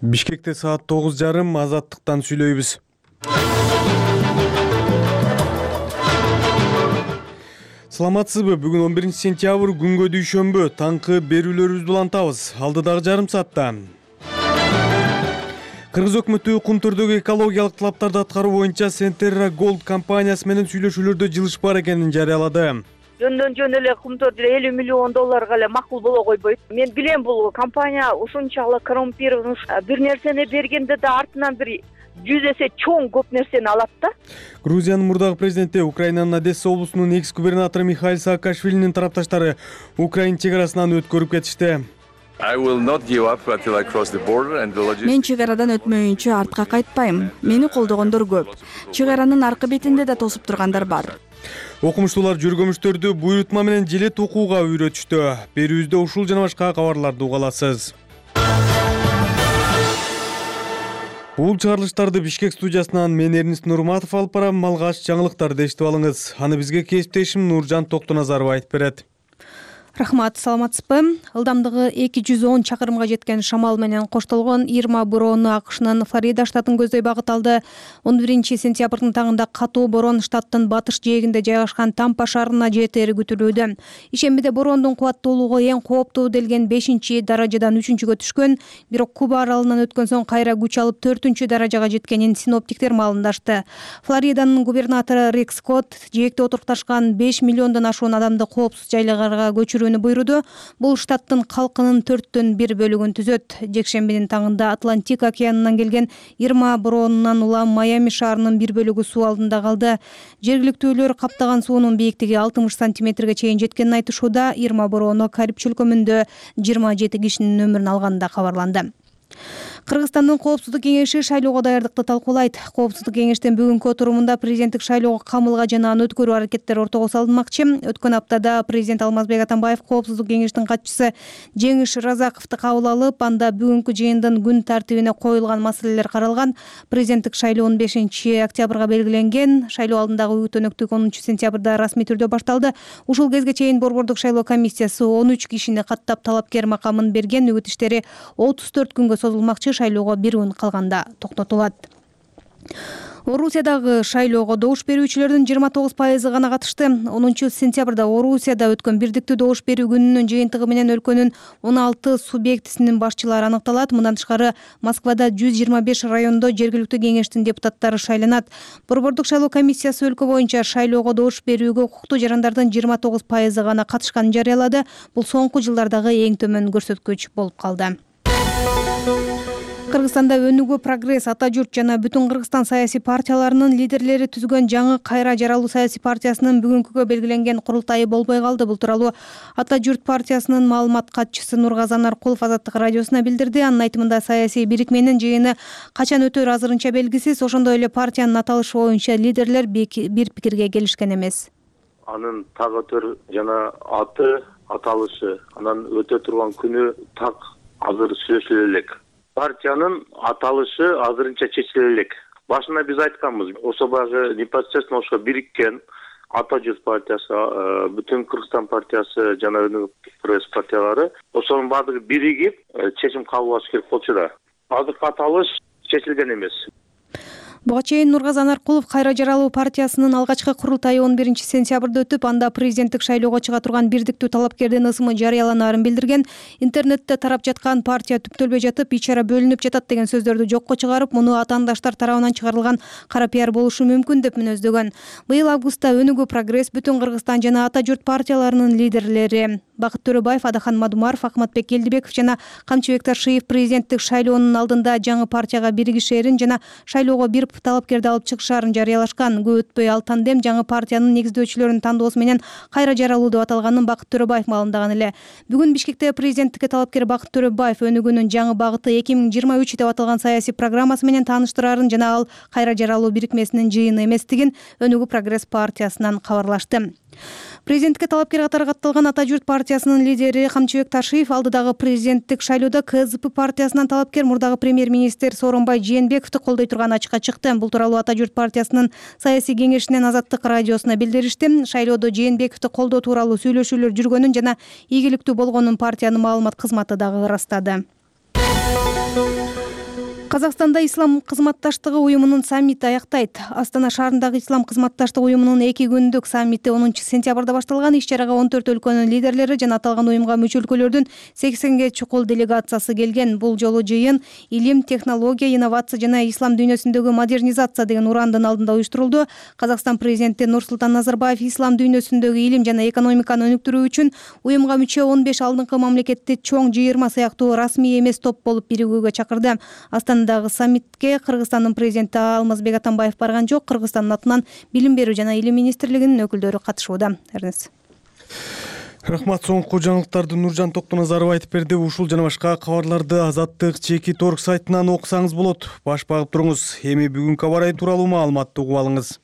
Бишкекте саат 9:30 Азаттыктан сүйлөйбүз. Саламатсызбы? Бүгүн 11-сентябрь күнгө дүйшөмбү. Таңкы берүүлөрүбүздү улантабыз. Алдыдагы жарым саатта. Кыргыз өкмөтү кум түрдөгү экологиялык талаптарды аткаруу боюнча Centerra Gold компаниясы менен сүйлөшүүлөрдө жылыш бар экенин жарыялады. Жөн эле кумтөрдү $50 миллион эле макул боло койбойт. Мен билем, бул компания ушунчалык коррумпирован, бир нерсени бергенде да артынан бир 100 эсе чоң көп нерсени алат да. Грузиянын мурдагы президенти, Украинанын Одесса облусунун экс-губернатору Михаил Саакашвилинин тарапташтары Украина чек арасынан өткөрүп кетишти. Мен чек арадан өтмөйүнчө артка кайтпайм. Мени колдогондор көп. Чек аранын аркы бетинде да тосуп тургандар бар. Окумуштуулар жүргөмүштөрдү буйрутма менен жилет окууга үйрөтүштү. Берүүбүздө ушул жана башка кабарларды уга аласыз. Бул чыгарылыштарды Бишкек студиясынан мен Эрнис Нурматов алып барам. Алгач жаңылыктарды эшитип алыңыз. Аны бизге кесиптешим Нуржан Токтоназаров айтып берет. Рахмат, саламатсызбы? Ылдамдыгы 210 чакырымга жеткен шамал менен коштолгон Ирма бороону АКШнын Флорида штатын көздөй багыт алды. 11-сентябрдын таңында катуу борон штаттын батыш жээгинде жайгашкан Тампа шаарына жетери күтүлүүдө. Ишембиде бороондун кубаттуулугу эң кооптуу делген 5-даражадан 3-кө түшкөн, бирок Куба аралынан өткөн соң кайра күч алып 4-даражага жеткенин синоптиктер маалымдашты. Флориданын губернатору Рик Скотт жээкте отурукташкан 5 миллиондон ашуун адамды коопсуз жайларга көчүрүүнү буйруду. Бул штаттын калкынын 1/4 бөлүгүн түзөт. Жекшембинин таңында Атлантик океанынан келген Ирма бороонунан улам Майами шаарынын бир бөлүгү суу алдында калды. Жергиликтүүлөр каптаган суунун бийиктиги 60 сантиметрге чейин жеткенин айтышууда. Ирма бороону Кариб чөлкөмүндө 27 кишинин өмүрүн алганы кабарланды. Кыргызстандын Коопсуздук кеңеши шайлоого даярдыкты талкуулайт. Коопсуздук кеңештин бүгүнкү отурумунда президенттик шайлоого камылга жана аны өткөрүү аракеттери ортого салынмакчы. Өткөн аптада президент Алмазбек Атамбаев Коопсуздук кеңештин катчысы Жеңиш Разаковду кабыл алып, анда бүгүнкү жыйындын күн тартибине коюлган маселелер каралган. Президенттик шайлоо 15-октябрга белгиленген. Шайлоо алдындагы өтөнөктүк 10-сентябрда расмий түрдө башталды. Ушул кезге чейин Борбордук шайлоо комиссиясы 13 кишини каттап талапкер макамын берген. Үгүт иштери 34 күнгө созулмакчы. Шайлоого бир күн калганда токтотулат. Орусиядагы шайлоого добуш берүүчүлөрдүн 29% гана катышты. 10-сентябрда Орусияда өткөн бирдиктүү добуш берүү күнүнүн жыйынтыгы менен өлкөнүн 16 субъектисинин башчылары аныкталат. Мындан тышкары Москвада 125 райондо жергиликтүү кеңештин депутаттары шайланат. Борбордук шайлоо комиссиясы өлкө боюнча шайлоого добуш берүүгө укуктуу жарандардын 29% гана катышканын жарыялады. Бул соңку жылдардагы эң төмөн көрсөткүч болуп калды. Кыргызстанда Өнүгүү Прогресс, Ата журт жана Бүтүн Кыргызстан саясий партияларынын лидерлери түзгөн жаңы Кайра жаралуу саясий партиясынын бүгүнкүгө белгиленген курултайы болбой калды. Бул тууралуу Ата журт партиясынын маалымат катчысы Нургазан Аркулов Азаттык радиосуна билдирди. Анын айтымында саясий бирикменин жыйыны качан өтөр азырынча белгисиз. Ошондой эле партиянын аталышы боюнча лидерлер бир пикирге келишкен эмес. Анын так өтөр жана аталышы, анан өтө турган күнү так азыр сүйлөшүлө элек. Партиянын аталышы азырынча чечиле элек. Башында биз айтканбыз, ошо багы непосредственно ошо бириккен Ата журт партиясы, Бүтүн Кыргызстан партиясы жана Өнүгүү Прогресс партиялары ошонун баардыгы биригип чечим кабыл алыш керек болчу да. Азыркы аталыш чечилген эмес. Буга чейин Нургазан Аркулов Кайра жаралуу партиясынын алгачкы курултайы 11-сентябрда өтүп, анда президенттик шайлоого чыга турган бирдиктүү талапкердин ысымы жарыяланаарын билдирген. Интернетте тарап жаткан партия түптөлбөй жатып, ичара бөлүнүп жатат деген сөздөрдү жокко чыгарып, муну атаандаштар тарабынан чыгарылган кара пиар болушу мүмкүн деп мүнөздөгөн. Быйыл августта Өнүгүү Прогресс, Бүтүн Кыргызстан жана Ата журт партияларынын лидерлери Бакыт Төрөбаев, Адахан Мадумаров, Акматбек Элдибеков жана Камчыбек Таршиев президенттик шайлоонун алдында жаңы партияга биригишээрин жана шайлоого бир талапкерди алып чыгышаарын жарыялашкан. Көп өтпөй ал тандем жаңы партиянын негиздөөчүлөрүнүн тандоосу менен Кайра жаралуу деп аталганын Бакыт Төрөбаев маалымдаган эле. Бүгүн Бишкекте президенттикке талапкер Бакыт Төрөбаев Өнүгүүнүн жаңы багыты 2023 деп аталган саясий программасы менен тааныштырарын жана ал Кайра жаралуу бирикмесинин жыйыны эместигин Өнүгүү Прогресс партиясынан кабарлашты. Президенттикке талапкер катары катталган Ата журт партиясынын лидери Камчыбек Таршиев алдыдагы президенттик шайлоодо КСДП партиясынан талапкер мурдагы премьер-министр Сооронбай Жээнбековду колдой турган ачыкка чыкты. Бул тууралуу Ата журт партиясынын саясий кеңешинен Азаттык радиосуна билдиришти. Шайлоодо Жээнбековду колдоо тууралуу сүйлөшүүлөр жүргөнүн жана ийгиликтүү болгонун партиянын маалымат кызматы дагы ырастады. Казакстанда Ислам кызматташтыгы уюмунун саммити аяктайт. Астана шаарындагы Ислам кызматташтыгы уюмунун 2 күндүк саммити 10 сентябрда башталган. Иш-чарага 14 өлкөнүн лидерлери жана аталган уюмга мүчө өлкөлөрдүн 80ге чукул делегациясы келген. Бул жолу жыйын илим, технология, инновация жана ислам дүйнөсүндөгү модернизация деген урандын алдында уюштурулду. Казакстан президенти Нурсултан Назарбаев ислам дүйнөсүндөгү илим жана экономиканы өнүктүрүү үчүн уюмга мүчө 15 алдыңкы мамлекетти чоң жыйырма сыяктуу расмий эмес топ болуп биригүүгө чакырды. Астандагы саммитке Кыргызстандын президенти Алмазбек Атамбаев барган жок. Кыргызстандын атынан Билим берүү жана илим министрлигинин өкүлдөрү катышууда. Рахмат. Соңку жаңылыктарды Нуржан Токтоназаров айтып берди. Ушул жана башка кабарларды Азаттык чекит орг сайтынан окусаңыз болот. Баш багып туруңуз. Эми бүгүнкү аба ырайы тууралуу маалыматты угуп алыңыз.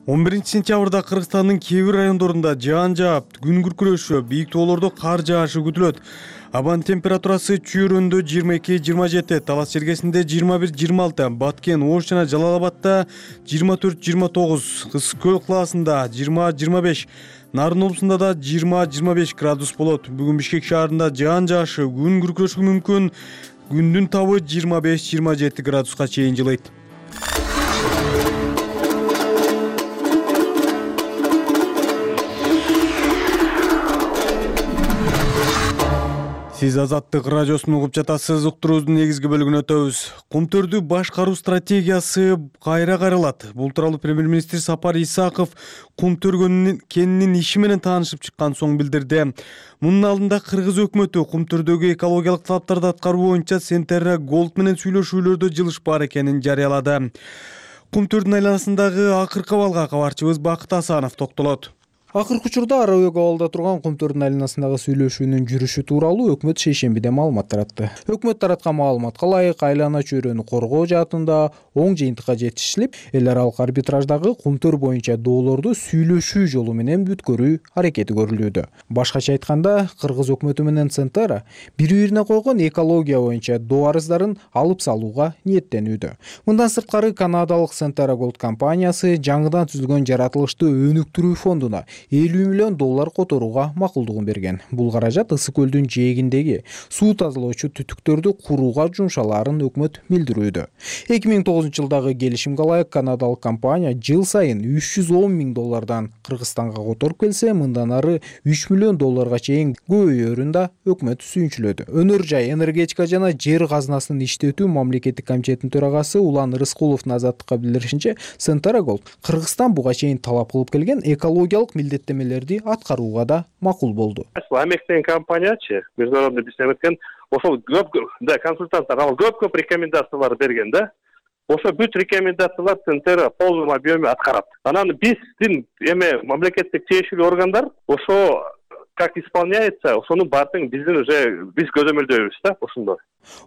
11 сентябрда Кыргызстандын кээ бир райондорунда жаан жаап, күн күркүрөшү, бийик тоолордо кар жаашы күтүлөт. Абанын температурасы Чүйрөндө 22-27, Талас Чергесинде 21-26, Баткен, Ош жана Жалал-Абадда 24-29, Кыз Көл кылаасында 20-25, Нарын облусунда да 20-25 градус болот. Бүгүн Бишкек шаарында жаан жаашы, күн күркүрөшү мүмкүн. Күндүн табы 25-27 градуска чейин жылыйт. Сиз Азаттык радиосун угуп жатасыз. Уктуруубуздун негизги бөлүгүнө өтөбүз. Кумтөрдү башкаруу стратегиясы кайра каралат. Бул тууралуу премьер-министр Сапар Исаков Кумтөр кенинин иши менен таанышып чыккан соң билдирди. Мунун алдында Кыргыз өкмөтү Кумтөрдөгү экологиялык талаптарды аткаруу боюнча Сентерра Голд менен сүйлөшүүлөрдө жылышпаар экенин жарыялады. Кумтөрдүн айланасындагы акыркы абалга кабарчыбыз Бакыт Асанов токтолот. Акыркы учурда Арабек абалда турган Кумтөрдүн айланасындагы сүйлөшүүнүн жүрүшү тууралуу өкмөт шейшембиде маалымат таратты. Өкмөт тараткан маалыматка ылайык айлана чөйрөнү коргоо жаатында оң жыйынтыкка жетишилип, эл аралык арбитраждагы Кумтөр боюнча доолорду сүйлөшүү жолу менен бүткөрүү аракети көрүлүүдө. Башкача айтканда, Кыргыз өкмөтү менен Центара бири-бирине койгон экология боюнча доо арыздарын алып салууга ниеттенүүдө. Мындан сырткары Канадалык Сентерра Голд компаниясы жаңыдан түзүлгөн жаратылышты өнүктүрүү фондуна $50 миллион которууга макулдугун берген. Бул каражат Ысык көлдүн жээгиндеги суу тазалоочу түтүктөрдү курууга жумшалаарын өкмөт билдирүүдө. 2009 жылдагы келишимге ылайык Канадалык компания жыл сайын $310 миң Кыргызстанга которуп келсе, мындан ары $3 миллион чейин көбөйөрүн да өкмөт сүйүнчүлөдү. Өнөр жай, энергетика жана жер казынасын иштетүү мамлекеттик комитетинин төрагасы Улан Рыскуловдун Азаттыкка билдиришинче, Сентера Голд Кыргызстан буга чейин талап кылып келген экологиялык милдеттемелерди аткарууга да макул болду. Америктен компаниячы международный бизнес эткен, ошол консультанттар көп рекомендациялар берген да. Ошо бүт рекомендациялар Центера полный объеме аткарат. Анан биздин мамлекеттик тиешелүү органдар ошо как исполняется, ошонун баардыгын биз көзөмөлдөйбүз да ошондо.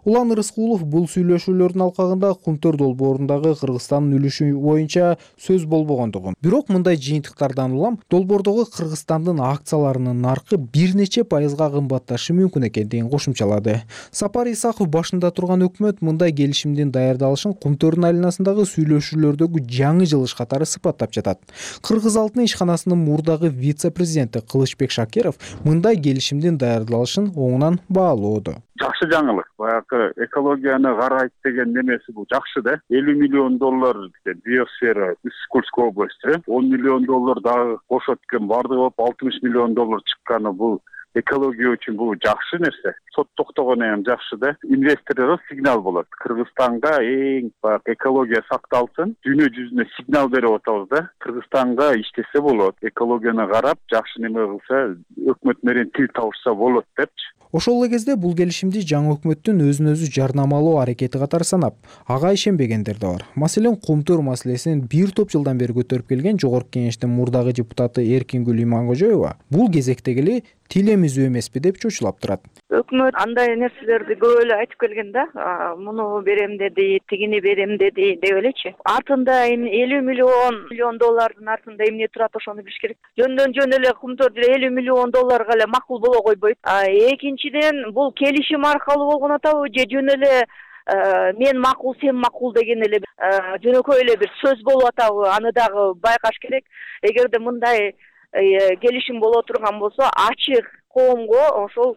Улан Рыскулов бул сүйлөшүүлөрдүн алкагында Кумтөр долбоорундагы Кыргызстандын үлүшү боюнча сөз болбогондугун, бирок мындай жыйынтыктардан улам долбоордогу Кыргызстандын акцияларынын наркы бир нече пайызга кымбатташы мүмкүн экендигин кошумчалады. Сапар Исаков башында турган өкмөт мындай келишимдин даярдалышын Кумтөрдүн айланасындагы сүйлөшүүлөрдөгү жаңы жылыш катары сыпаттап жатат. Кыргыз алтын ишканасынын мурдагы вице-президенти Кылычбек Шакиров мындай келишимдин даярдалышын оңунан баалоодо. Жакшы жаңылык. Баягы экологияны карайт деген немеси бул жакшы да. $50 миллион биосфера Ысык-Кульская область, $10 миллион дагы кошот экен, бардыгы болуп $60 миллион чыкканы бул экология үчүн бул жакшы нерсе. Сот токтогону эми жакшы да. Инвесторлорго сигнал болот. Кыргызстанга эң экология сакталсын, дүйнө жүзүнө сигнал берип атабыз да. Кыргызстанга иштесе болот. Экологияны карап, жакшы неме кылса, өкмөт менен тил табышса болот депчи. Ошол эле кезде бул келишимди жаңы өкмөттүн өзүн-өзү жарнамалоо аракети катары санап, ага ишенбегендер да бар. Маселен, Кумтөр маселесин бир топ жылдан бери көтөрүп келген Жогорку Кеңештин мурдагы депутаты Эркингүл Иманкожоева бул кезектегиле тилемизүү эмеспи деп чочулап турат. Өкмөт андай нерселерди көп эле айтып келген да. Муну берем деди, тигини берем деди деп элечи. Артында $50 миллион артында эмне турат, ошону билиш керек. Жөндөн эле Кумтөр $50 миллион эле макул боло койбойт. Экинчиден, бул келишим аркылуу болгон атабы же жөн эле мен макул, сен макул деген эле жөнөкөй эле бир сөз болуп атабы, аны дагы байкаш керек. Эгерде мындай келишим боло турган болсо, ачык коомго ошол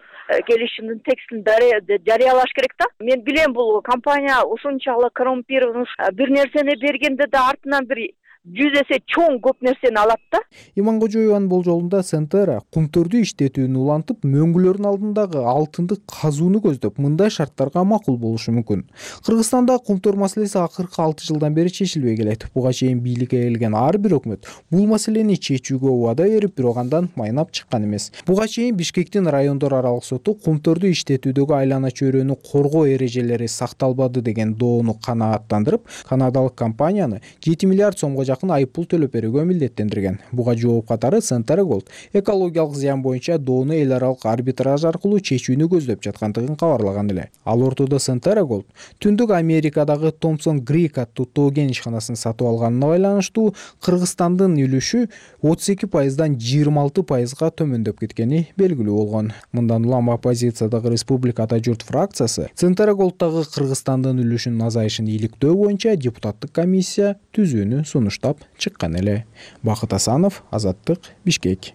келишимдин текстин жарыялаш керек да. Мен билем бул компания ушунчалык коррумпированный бир нерсени бергенде да артынан бир 100 эсе чоң көп нерсени алат да. Иманкожоеванын болжолунда Центера кумтөрдү иштетүүнү улантып, мөңгүлөрдүн алдындагы алтынды казууну көздөп, мындай шарттарга макул болушу мүмкүн. Кыргызстанда кумтөр маселеси акыркы 6 жылдан бери чечилбей келет. Буга чейин бийликке келген ар бир өкмөт бул маселени чечүүгө убада берип, бирок андан майнап чыккан эмес. Буга чейин Бишкектин райондор аралык соту кумтөрдү иштетүүдөгү айлана чөйрөнү коргоо эрежелери сакталбады деген доону канааттандырып, канадалык компанияны 7 миллиард сомго айыппул төлөп берүүгө милдеттендирген. Буга жооп катары Центера Gold экологиялык зыян боюнча доону эл аралык арбитраж аркылуу чечүүнү көздөп жаткандыгын кабарлаган эле. Ал ортодо Центера Gold Түндүк Америкадагы Thompson Creek аттуу тоо кен ишканасын сатып алганына байланыштуу Кыргызстандын үлүшү 32%дан 26%га төмөндөп кеткени белгилүү болгон. Мындан улам оппозициядагы Республика Ата журт фракциясы Центера Gold'тагы Кыргызстандын үлүшүнүн азайышын иликтөө боюнча депутаттык комиссия түзүүнү сунуштап чыккан эле. Бакыт Асанов, Азаттык, Бишкек.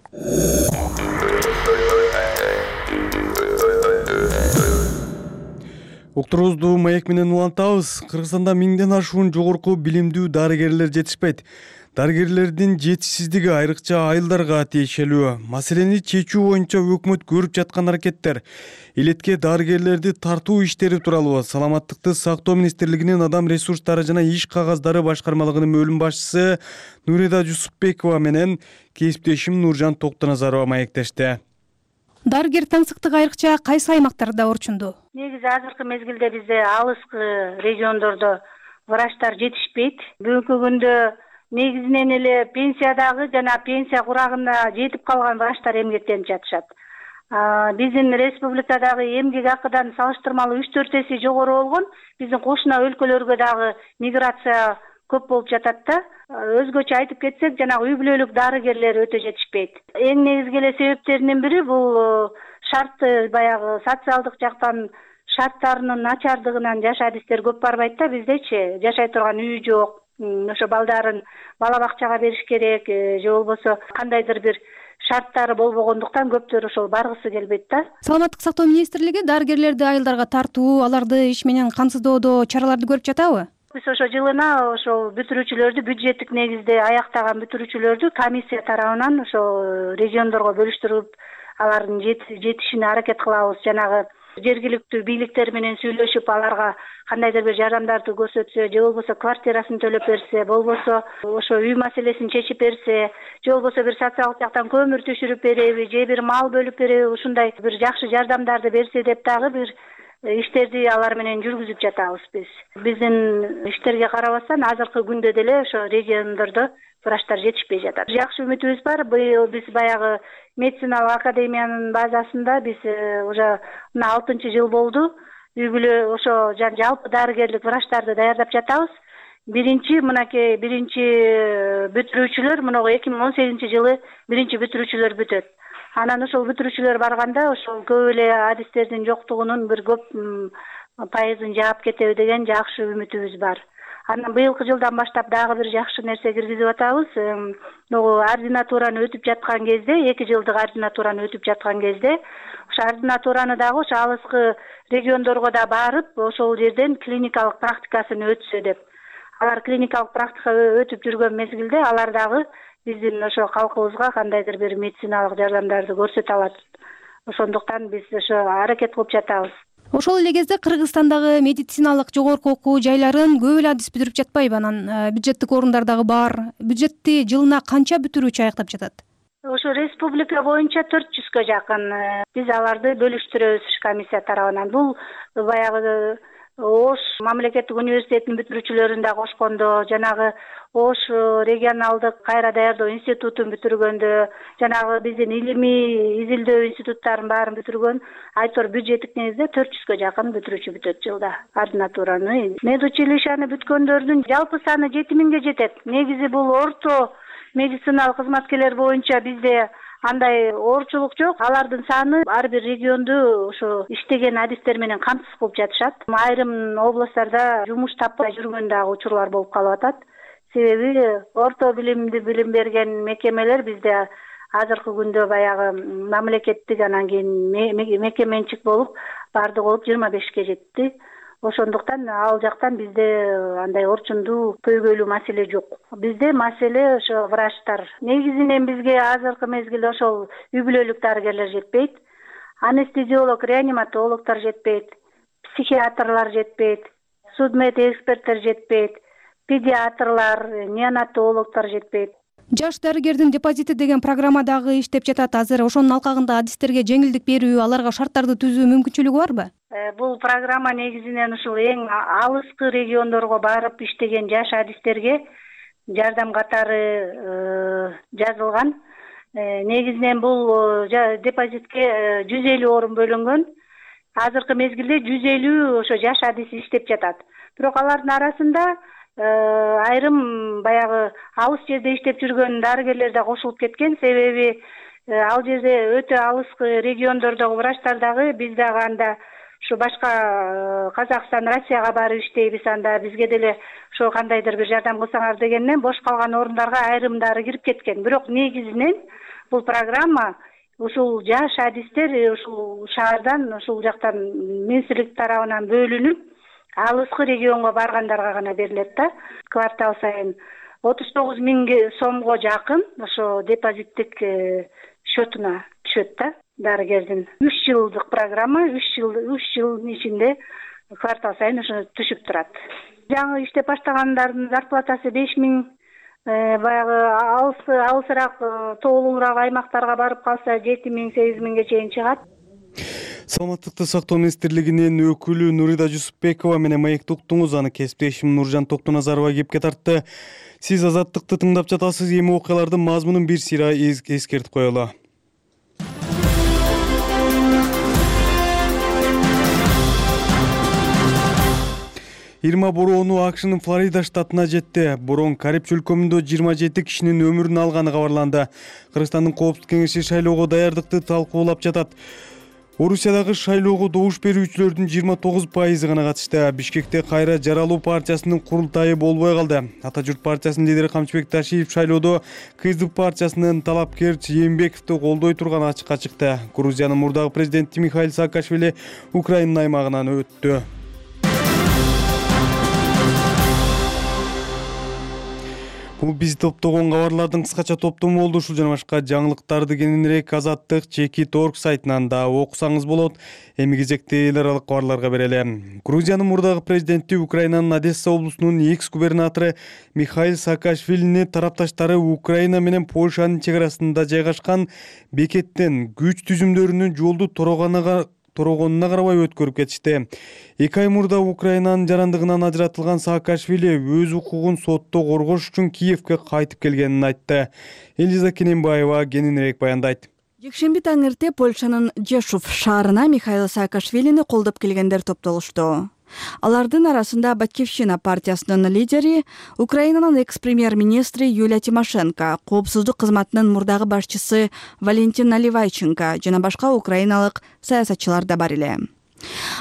Уктуруубузду маек менен улантабыз. Кыргызстанда 1000ден ашуун жогорку билимдүү дарыгерлер жетишпейт. Дарыгерлердин жетишсиздиги айрыкча айылдарга тиешелүү. Маселени чечүү боюнча өкмөт көрүп жаткан аракеттер. Илетке дарыгерлерди тартуу иштери тууралуу Саламаттыкты сактоо министрлигинин адам ресурстары жана иш кагаздары башкармалыгынын бөлүм башчысы Нурида Жусупбекова менен кесиптешим Нуржан Токтоназарова маектешти. Дарыгер таңсыктык айрыкча кайсы аймактарда орчунду? Негизи азыркы мезгилде бизде алыскы региондордо врачтар жетишпейт. Бүгүнкү күндө негизинен эле пенсиядагы жана пенсия курагына жетип калган врачтар эмгектенип жатышат. Биздин республикадагы эмгек акыдан салыштырмалуу 3-4 эсе жогору болгон. Биздин кошуна өлкөлөргө дагы миграция көп болуп жатат да. Өзгөчө айтып кетсек, жанагы үй бүлөлүк дарыгерлер өтө жетишпейт. Эң негизги эле себептеринин бири бул шартты баягы социалдык жактан шарттарынын начардыгынан жаш адистер көп барбайт да. Биздечи жашай турган үй жок. Ошо балдарын бала бакчага бериш керек, же болбосо кандайдыр бир шарттары болбогондуктан көптөр ошол баргысы келбейт да. Саламаттык сактоо министрлиги дарыгерлерди айылдарга тартуу, аларды иш менен камсыздоодо чараларды көрүп жатабы? Биз ошо жылына ошол бүтүрүүчүлөрдү, бюджеттик негизде аяктаган бүтүрүүчүлөрдү комиссия тарабынан ошо региондорго бөлүштүрүп, алардын жетишине аракет кылабыз. Жанагы жергиликтүү бийликтер менен сүйлөшүп, аларга кандайдыр бир жардамдарды көрсөтсө, же болбосо квартирасын төлөп берсе, болбосо ошо үй маселесин чечип берсе, же болбосо бир социалдык жактан көмүр түшүрүп береби, же бир мал бөлүп береби, ушундай бир жакшы жардамдарды берсе деп дагы бир иштерди алар менен жүргүзүп жатабыз биз. Биздин иштерге карабастан азыркы күндө деле ошо региондордо врачтар жетишпей жатат. Жакшы үмүтүбүз бар. Быйыл биз баягы медициналык академиянын базасында биз уже 6-жыл болду. Үй бүлө ошо жалпы дарыгерлик врачтарды даярдап жатабыз. Биринчи бүтүрүүчүлөр мына 2018-жылы биринчи бүтүрүүчүлөр бүтөт. Анан ошол бүтүрүүчүлөр барганда ошол көп эле адистердин жоктугунун бир көп пайызын жаап кетеби деген жакшы үмүтүбүз бар. Анан быйылкы жылдан баштап дагы бир жакшы нерсе киргизип атабыз. Ординатураны өтүп жаткан кезде, 2 жылдык ординатураны өтүп жаткан кезде, ошо ординатураны дагы ошо алыскы региондорго да барып, ошол жерден клиникалык практикасын өтсө деп. Алар клиникалык практика өтүп жүргөн мезгилде алар дагы биздин ошо калкыбызга кандайдыр бир медициналык жардамдарды көрсөтө алат. Ошондуктан биз ошо аракет кылып жатабыз. Ошол эле кезде Кыргызстандагы медициналык жогорку окуу жайларын көп эле адис бүтүрүп жатпайбы? Анан бюджеттик орундар дагы бар. Бюджетти жылына канча бүтүрүүчү аяктап жатат? Ошо республика боюнча 400гө жакын. Биз аларды бөлүштүрөбүз комиссия тарабынан. Бул баягы Ош мамлекеттик университетинин бүтүрүүчүлөрүн да кошкондо, жанагы Ош регионалдык кайра даярдоо институтун бүтүргөндө, жанагы биздин илимий изилдөө институттарын баарын бүтүргөн, айтор бюджеттик негизде 400гө жакын бүтүрүүчү бүтөт жылда ординатураны. Медучилищаны бүткөндөрдүн жалпы саны 7000ге жетет. Негизи бул орто медициналык кызматкерлер боюнча бизде андай оорчулук жок. Алардын саны ар бир регионду ошо иштеген адистер менен камсыз кылып жатышат. Айрым областтарда жумуш таппай жүргөн дагы учурлар болуп калып атат. Себеби орто билим берген мекемелер бизде азыркы күндө баягы мамлекеттик анан кийин мекеме менчик болуп баардыгы болуп 25-ке жетти. Ошондуктан ал жактан бизде андай орчундуу көйгөйлүү маселе жок. Бизде маселе ошо врачтар. Негизинен бизге азыркы мезгилде ошол үй бүлөлүк дарыгерлер жетпейт. Анестезиолог, реаниматологдор жетпейт. Психиатрлар жетпейт. Судмед эксперттер жетпейт. Педиатрлар, неонатологдор жетпейт. Жаш дарыгердин депозити деген программа дагы иштеп жатат. Азыр ошонун алкагында адистерге жеңилдик берүү, аларга шарттарды түзүү мүмкүнчүлүгү барбы? Бул программа негизинен ушул эң алыскы региондорго барып иштеген жаш адистерге жардам катары жазылган. Негизинен бул депозитке 150 орун бөлүнгөн. Азыркы мезгилде 150 ошо жаш адис иштеп жатат. Бирок алардын арасында айрым баягы алыс жерде иштеп жүргөн дарыгерлер да кошулуп кеткен. Себеби ал жерде өтө алыскы региондордогу врачтар дагы биз дагы анда ушу башка Казакстан, Россияга барып иштейбиз, анда бизге деле ошо кандайдыр бир жардам кылсаңар дегенден бош калган орундарга айрымдары кирип кеткен. Бирок негизинен бул программа ушул жаш адистер ушул шаардан, ушул жактан министрлик тарабынан бөлүнүп алыскы регионго баргандарга гана берилет да. Квартал сайын 39 000 сомго жакын ошо депозиттик счетуна түшөт да дарыгердин. 3 жылдык программа, 3 жылдын ичинде квартал сайын ошо түшүп турат. Жаңы иштеп баштагандардын зарплатасы 5 000, баягы алысыраак тоолуураак аймактарга барып калса 7 000, 8 000ге чейин чыгат. Саламаттыкты сактоо министрлигинин өкүлү Нурида Жусупбекова менен маекти уктуңуз. Аны кесиптешим Нуржан Токтоназарова кепке тартты. Сиз Азаттыкты тыңдап жатасыз. Эми окуялардын мазмунун бир сыйра эскертип коелу. Ирма бороону АКШнын Флорида штатына жетти. Борон Кариб чөлкөмүндө 27 кишинин өмүрүн алганы кабарланды. Кыргызстандын Коопсуздук кеңеши шайлоого даярдыкты талкуулап жатат. Орусиядагы шайлоого добуш берүүчүлөрдүн 29% гана катышты. Бишкекте кайра жаралуу партиясынын курултайы болбой калды. Ата журт партиясынын лидери Камчыбек Ташиев шайлоодо КСДП партиясынын талапкер Жээнбековду колдой турганы ачыкка чыкты. Грузиянын мурдагы президенти Михаил Саакашвили Украинанын аймагынан өттү. Бул биз топтогон кабарлардын кыскача топтому болду. Ушул жана башка жаңылыктарды кененирээк Азаттык Чекит.org сайтынан да окусаңыз болот. Эми кезекти эл аралык кабарларга берели. Грузиянын мурдагы президенти Украинанын Одесса облусунун экс-губернатору Михаил Саакашвилини тарапташтары Украина менен Польшанын чек арасында жайгашкан бекеттен күч түзүмдөрүнүн жолду торогонуна карабай өткөрүп кетишти. 2 ай мурда Украинанын жарандыгынан ажыратылган Саакашвили өз укугун сотто коргош үчүн Киевке кайтып келгенин айтты. Элиза Кененбаева кененирээк баяндайт. Жекшемби таң эрте Польшанын Жешув шаарына Михаил Саакашвилини колдоп келгендер топтолушту. Алардын арасында Батькивщина партиясынын лидери, Украинанын экс-премьер-министри Юлия Тимошенко, Коопсуздук кызматынын мурдагы башчысы Валентин Наливайченко жана башка украиналык саясатчылар да бар эле.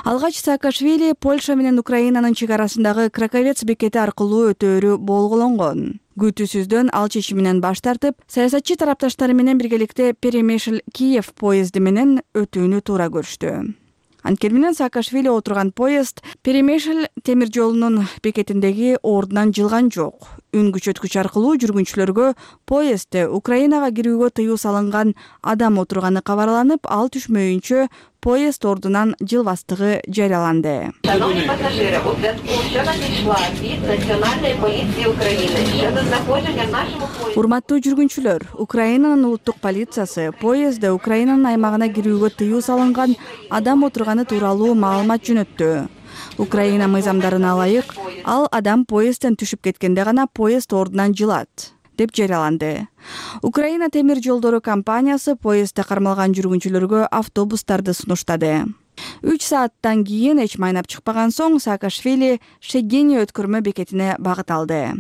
Алгач Саакашвили Польша менен Украинанын чек арасындагы Краковец бекети аркылуу өтөөрү болгологон. Күтүүсүздөн ал чечиминен баш тартып, саясатчы тарапташтары менен биргеликте Перемишль-Киев поезди менен өтүүнү туура көрүштү. Анткени менен Саакашвили отурган поезд Перемишль темир жолунун бекетиндеги ордунан жылган жок. Үн күчөткүч аркылуу жүргүнчүлөргө поездде Украинага кирүүгө тыюу салынган адам отурганы кабарланып, ал түшмөйүнчө поезд ордунан жылбастыгы жарыяланды. Шановні пасажири, у зв'язку щодо надійшла від Національної поліції України щодо знаходження в нашому поїзді. Урматтуу жүргүнчүлөр, Украинанын улуттук полициясы поездде Украинанын аймагына кирүүгө тыюу салынган адам отурганы тууралуу маалымат жөнөттү. Украина мыйзамдарына ылайык, ал адам поездден түшүп кеткенде гана поезд ордунан жылат деп жарыяланды. Украина темир жолдору компаниясы поездде кармалган жүргүнчүлөргө автобустарды сунуштады. 3 сааттан кийин эч майнап чыкпаган соң Саакашвили Шегени өткөрмө бекетине багыт алды.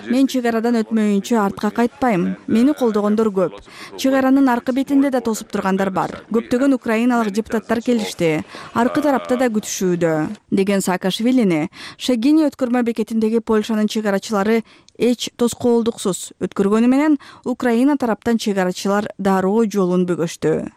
Мен чек арадан өтмөйүнчө артка кайтпайм. Мени колдогондор көп. Чек аранын аркы бетинде да тосуп тургандар бар. Көптөгөн украиналык депутаттар келишти. Аркы тарапта да күтүшүүдө, деген Саакашвилини Шегени өткөрмө бекетиндеги Польшанын чек арачылары эч тоскоолдуксуз өткөргөнү менен Украина тараптан чек арачылар дароо жолун бөгөштү.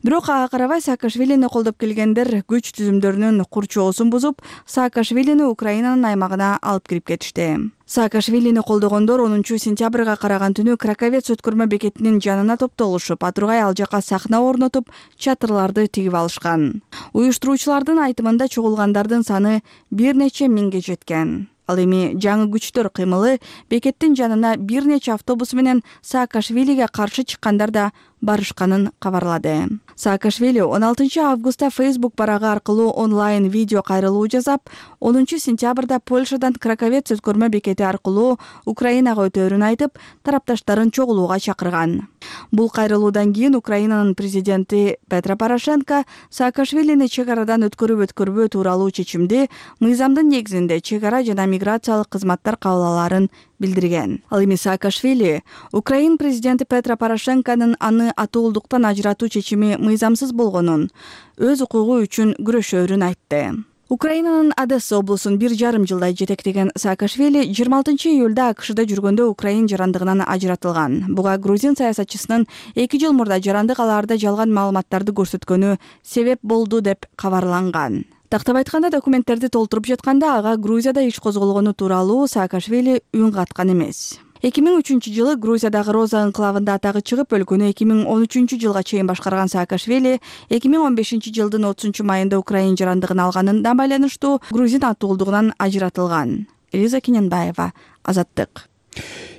Бирок ага карабай Саакашвилини колдоп келгендер күч түзүмдөрүнүн курчоосун бузуп, Саакашвилини Украинанын аймагына алып кирип кетишти. Саакашвилини колдогондор 10 сентябрга караган түнү Краковец өткөрмө бекетинин жанына топтолушуп, атургай ал жака сахна орнотуп, чатырларды тигип алышкан. Уюштуруучулардын айтымында чогулгандардын саны бир нече миңге жеткен. Ал эми жаңы күчтөр кыймылы бекеттин жанына бир нече автобус менен Саакашвилиге каршы чыккандар да барышканын кабарлады. Саакашвили 16 августта Facebook барагы аркылуу онлайн видео кайрылуу жасап, 10 сентябрда Польшадан Краковец өткөрмө бекети аркылуу Украинага өтөөрүн айтып, тарапташтарын чогулууга чакырган. Бул кайрылуудан кийин Украинанын президенти Петро Порошенко Саакашвилини чек арадан өткөрүбө тууралуу чечимди мыйзамдын негизинде чек ара жана миграциялык кызматтар кабыл алаарын билдирген. Ал эми Саакашвили Украин президенти Петро Порошенконун аны атуулдуктан ажыратуу чечими мыйзамсыз болгонун, өз укугу үчүн күрөшөөрүн айтты. Украинанын Одесса облусун 1,5 жылдай жетектеген Саакашвили 26 июлда АКШда жүргөндө Украин жарандыгынан ажыратылган. Буга грузин саясатчысынын 2 жыл мурда жарандык алаарда жалган маалыматтарды көрсөткөнү себеп болду деп кабарланган. Тактап айтканда, документтерди толтуруп жатканда ага Грузияда иш козголгону тууралуу Саакашвили үн каткан эмес. 2003 жылы Грузиядагы Роза анклавында атагы чыгып, өлкөнү 2013 жылга чейин башкарган Саакашвили 2015 жылдын 30 майында Украин жарандыгын алганына байланыштуу грузин атуулдугунан ажыратылган. Элиза Кененбаева, Азаттык.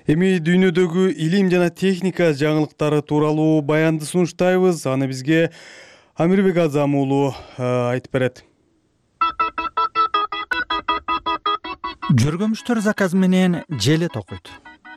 Эми дүйнөдөгү илим жана техника жаңылыктары тууралуу баянды сунуштайбыз. Аны бизге Амирбек Азам уулу айтып берет. Жөргөмүштөр заказы менен желет окуйт.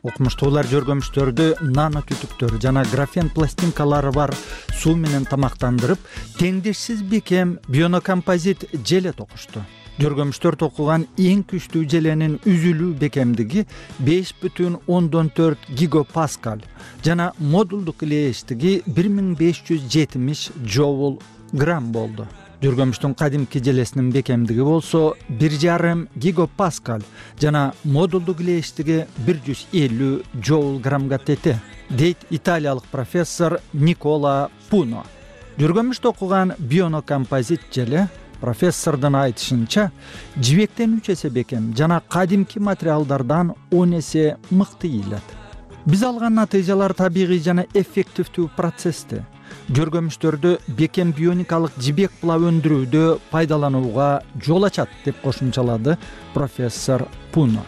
Окумуштуулар жөргөмүштөрдү нанотүтүктөр жана графен пластинкалары бар суу менен тамактандырып, теңдешсиз бекем бионокомпозит желет окушту. Жөргөмүштөр токуган эң күчтүү желенин үзүлүү бекемдиги 5,4 гигапаскаль жана модулдук илээштиги 1570 жоул грамм болду. Жөргөмүштүн кадимки желесинин бекемдиги болсо 1,5 гигапаскаль жана модулдук илээштиги 150 жоул граммга тете, дейт италиялык профессор Никола Пуно. Жөргөмүш токуган бионокомпозит желе профессордун айтышынча жибектен 3 эсе бекем жана кадимки материалдардан 10 эсе мыкты ийилет. Биз алган натыйжалар табигый жана эффективдүү процессти. Жөргөмүштөрдү бекем бионикалык жибек була өндүрүүдө пайдаланууга жол ачат деп кошумчалады профессор Пуно.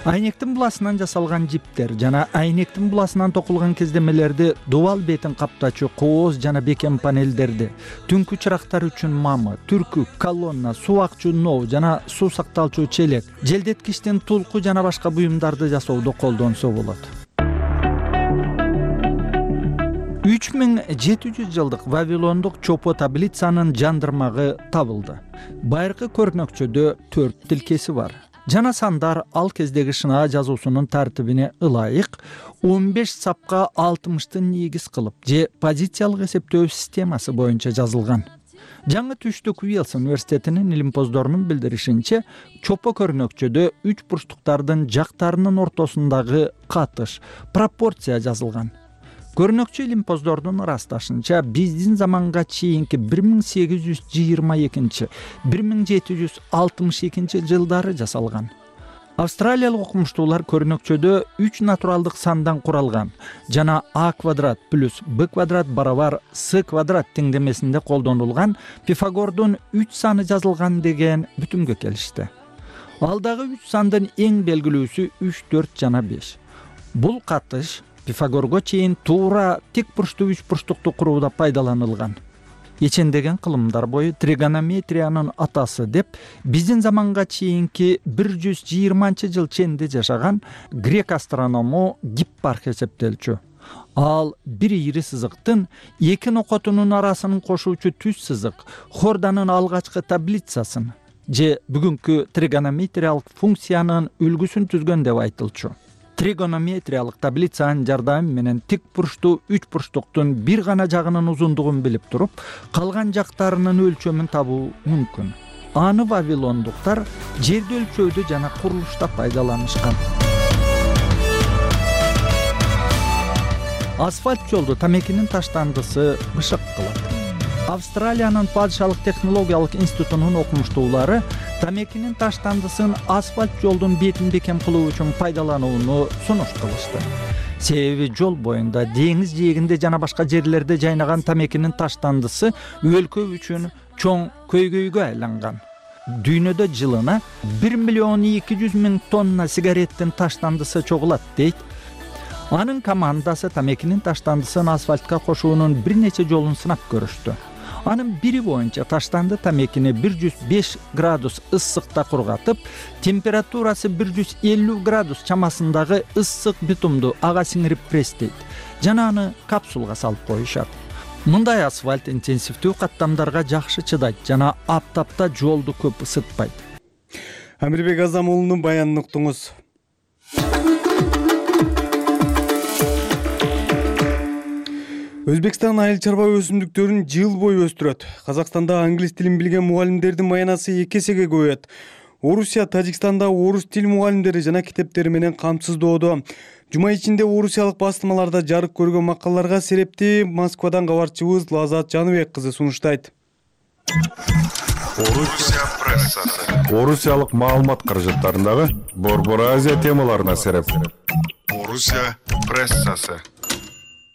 Айнектин буласынан жасалган жиптер жана айнектин буласынан токулган кездемелерди, дубал бетин каптачу кооз жана бекем панелдерди, түнкү чырактар үчүн мамы, түркү, колонна, суу акчу ноо жана суу сакталчу челек, желдеткичтин тулку жана башка буюмдарды жасоодо колдонсо болот. 3700 жылдык Вавилондук чопо таблицанын жандырмагы табылды. Байыркы көрнөкчөдө 4 тилкеси бар. Жана сандар ал кездеги шынаа жазуусунун тартибине ылайык 15 сапка 60-тын негиз кылып же позициялык эсептөө системасы боюнча жазылган. Жаңы түштүк Уэльс университетинин илимпоздорунун билдиришинче, чопо көрнөкчөдө 3 бурчтуктардын жактарынын ортосундагы катыш, пропорция жазылган. Көрнөкчү илимпоздордун ырасташынча, биздин заманга чейинки 1822-1762 жылдары жасалган. Австралиялык окумуштуулар көрнөкчөдө 3 натуралдык сандан куралган жана А квадрат плюс Б квадрат барабар С квадрат теңдемесинде колдонулган Пифагордун 3 саны жазылган деген бүтүмгө келишти. Алдагы 3 сандын эң белгилүүсү 3, 4 жана 5. Бул катыш Пифагорго чейин туура тик бурчтуу 3 бурчтукту курууда пайдаланылган. Ичендеген кылымдар бою тригонометриянын атасы деп биздин заманга чейинки 120 жыл ченде жашаган грек астроному Гиппарх эсептелчү. Ал бир ийри сызыктын эки нокотунун арасын кошуучу түз сызык Хорданын алгачкы таблицасын же бүгүнкү тригонометриялык функциянын үлгүсүн түзгөн деп айтылчу. Тригонометриялык таблицанын жардамы менен тик бурчтуу 3 бурчтуктун бир гана жагынын узундугун билип туруп, калган жактарынын өлчөмүн табуу мүмкүн. Аны вавилондуктар жерди өлчөөдө жана курулушта пайдаланышкан. асфальт жолду тамекинин таштандысы бышык кылат. Австралиянын падышалык технологиялык институтунун окумуштуулары тамекинин таштандысын асфальт жолдун бетин бекем кылуу үчүн пайдаланууну сунуш кылышты. Себеби жол боюнда, деңиз жээгинде жана башка жерлерде жайнаган тамекинин таштандысы өлкө үчүн чоң көйгөйгө айланган. Дүйнөдө жылына 1,2 миллион тонна сигареттин таштандысы чогулат дейт. Анын командасы тамекинин таштандысын асфальтка кошуунун бир нече жолун сынап көрүштү. Анын бири боюнча таштанды тамекини 105 градус ысыкта кургатып, температурасы 150 градус чамасындагы ысык битумду ага сиңирип пресстейт жана аны капсулга салып коюшат. Мындай асфальт интенсивдүү каттамдарга жакшы чыдайт жана аптапта жолду көп ысытпайт. Амирбек Азам уулунун баянын уктуңуз. Өзбекстан айыл чарба өсүмдүктөрүн жыл бою өстүрөт. Казакстанда англис тилин билген мугалимдердин маянасы 2 эсеге көбөйөт. Орусия, Тажикстанда орус тил мугалимдери жана китептери менен камсыздоодо. Жума ичинде орусиялык басылмаларда жарык көргөн макалаларга серепти Москвадан кабарчыбыз Лазат Жаныбек кызы сунуштайт. Орусия прессасы. Орусиялык маалымат каражаттарындагы Борбор Азия темаларына сереп. Орусия прессасы.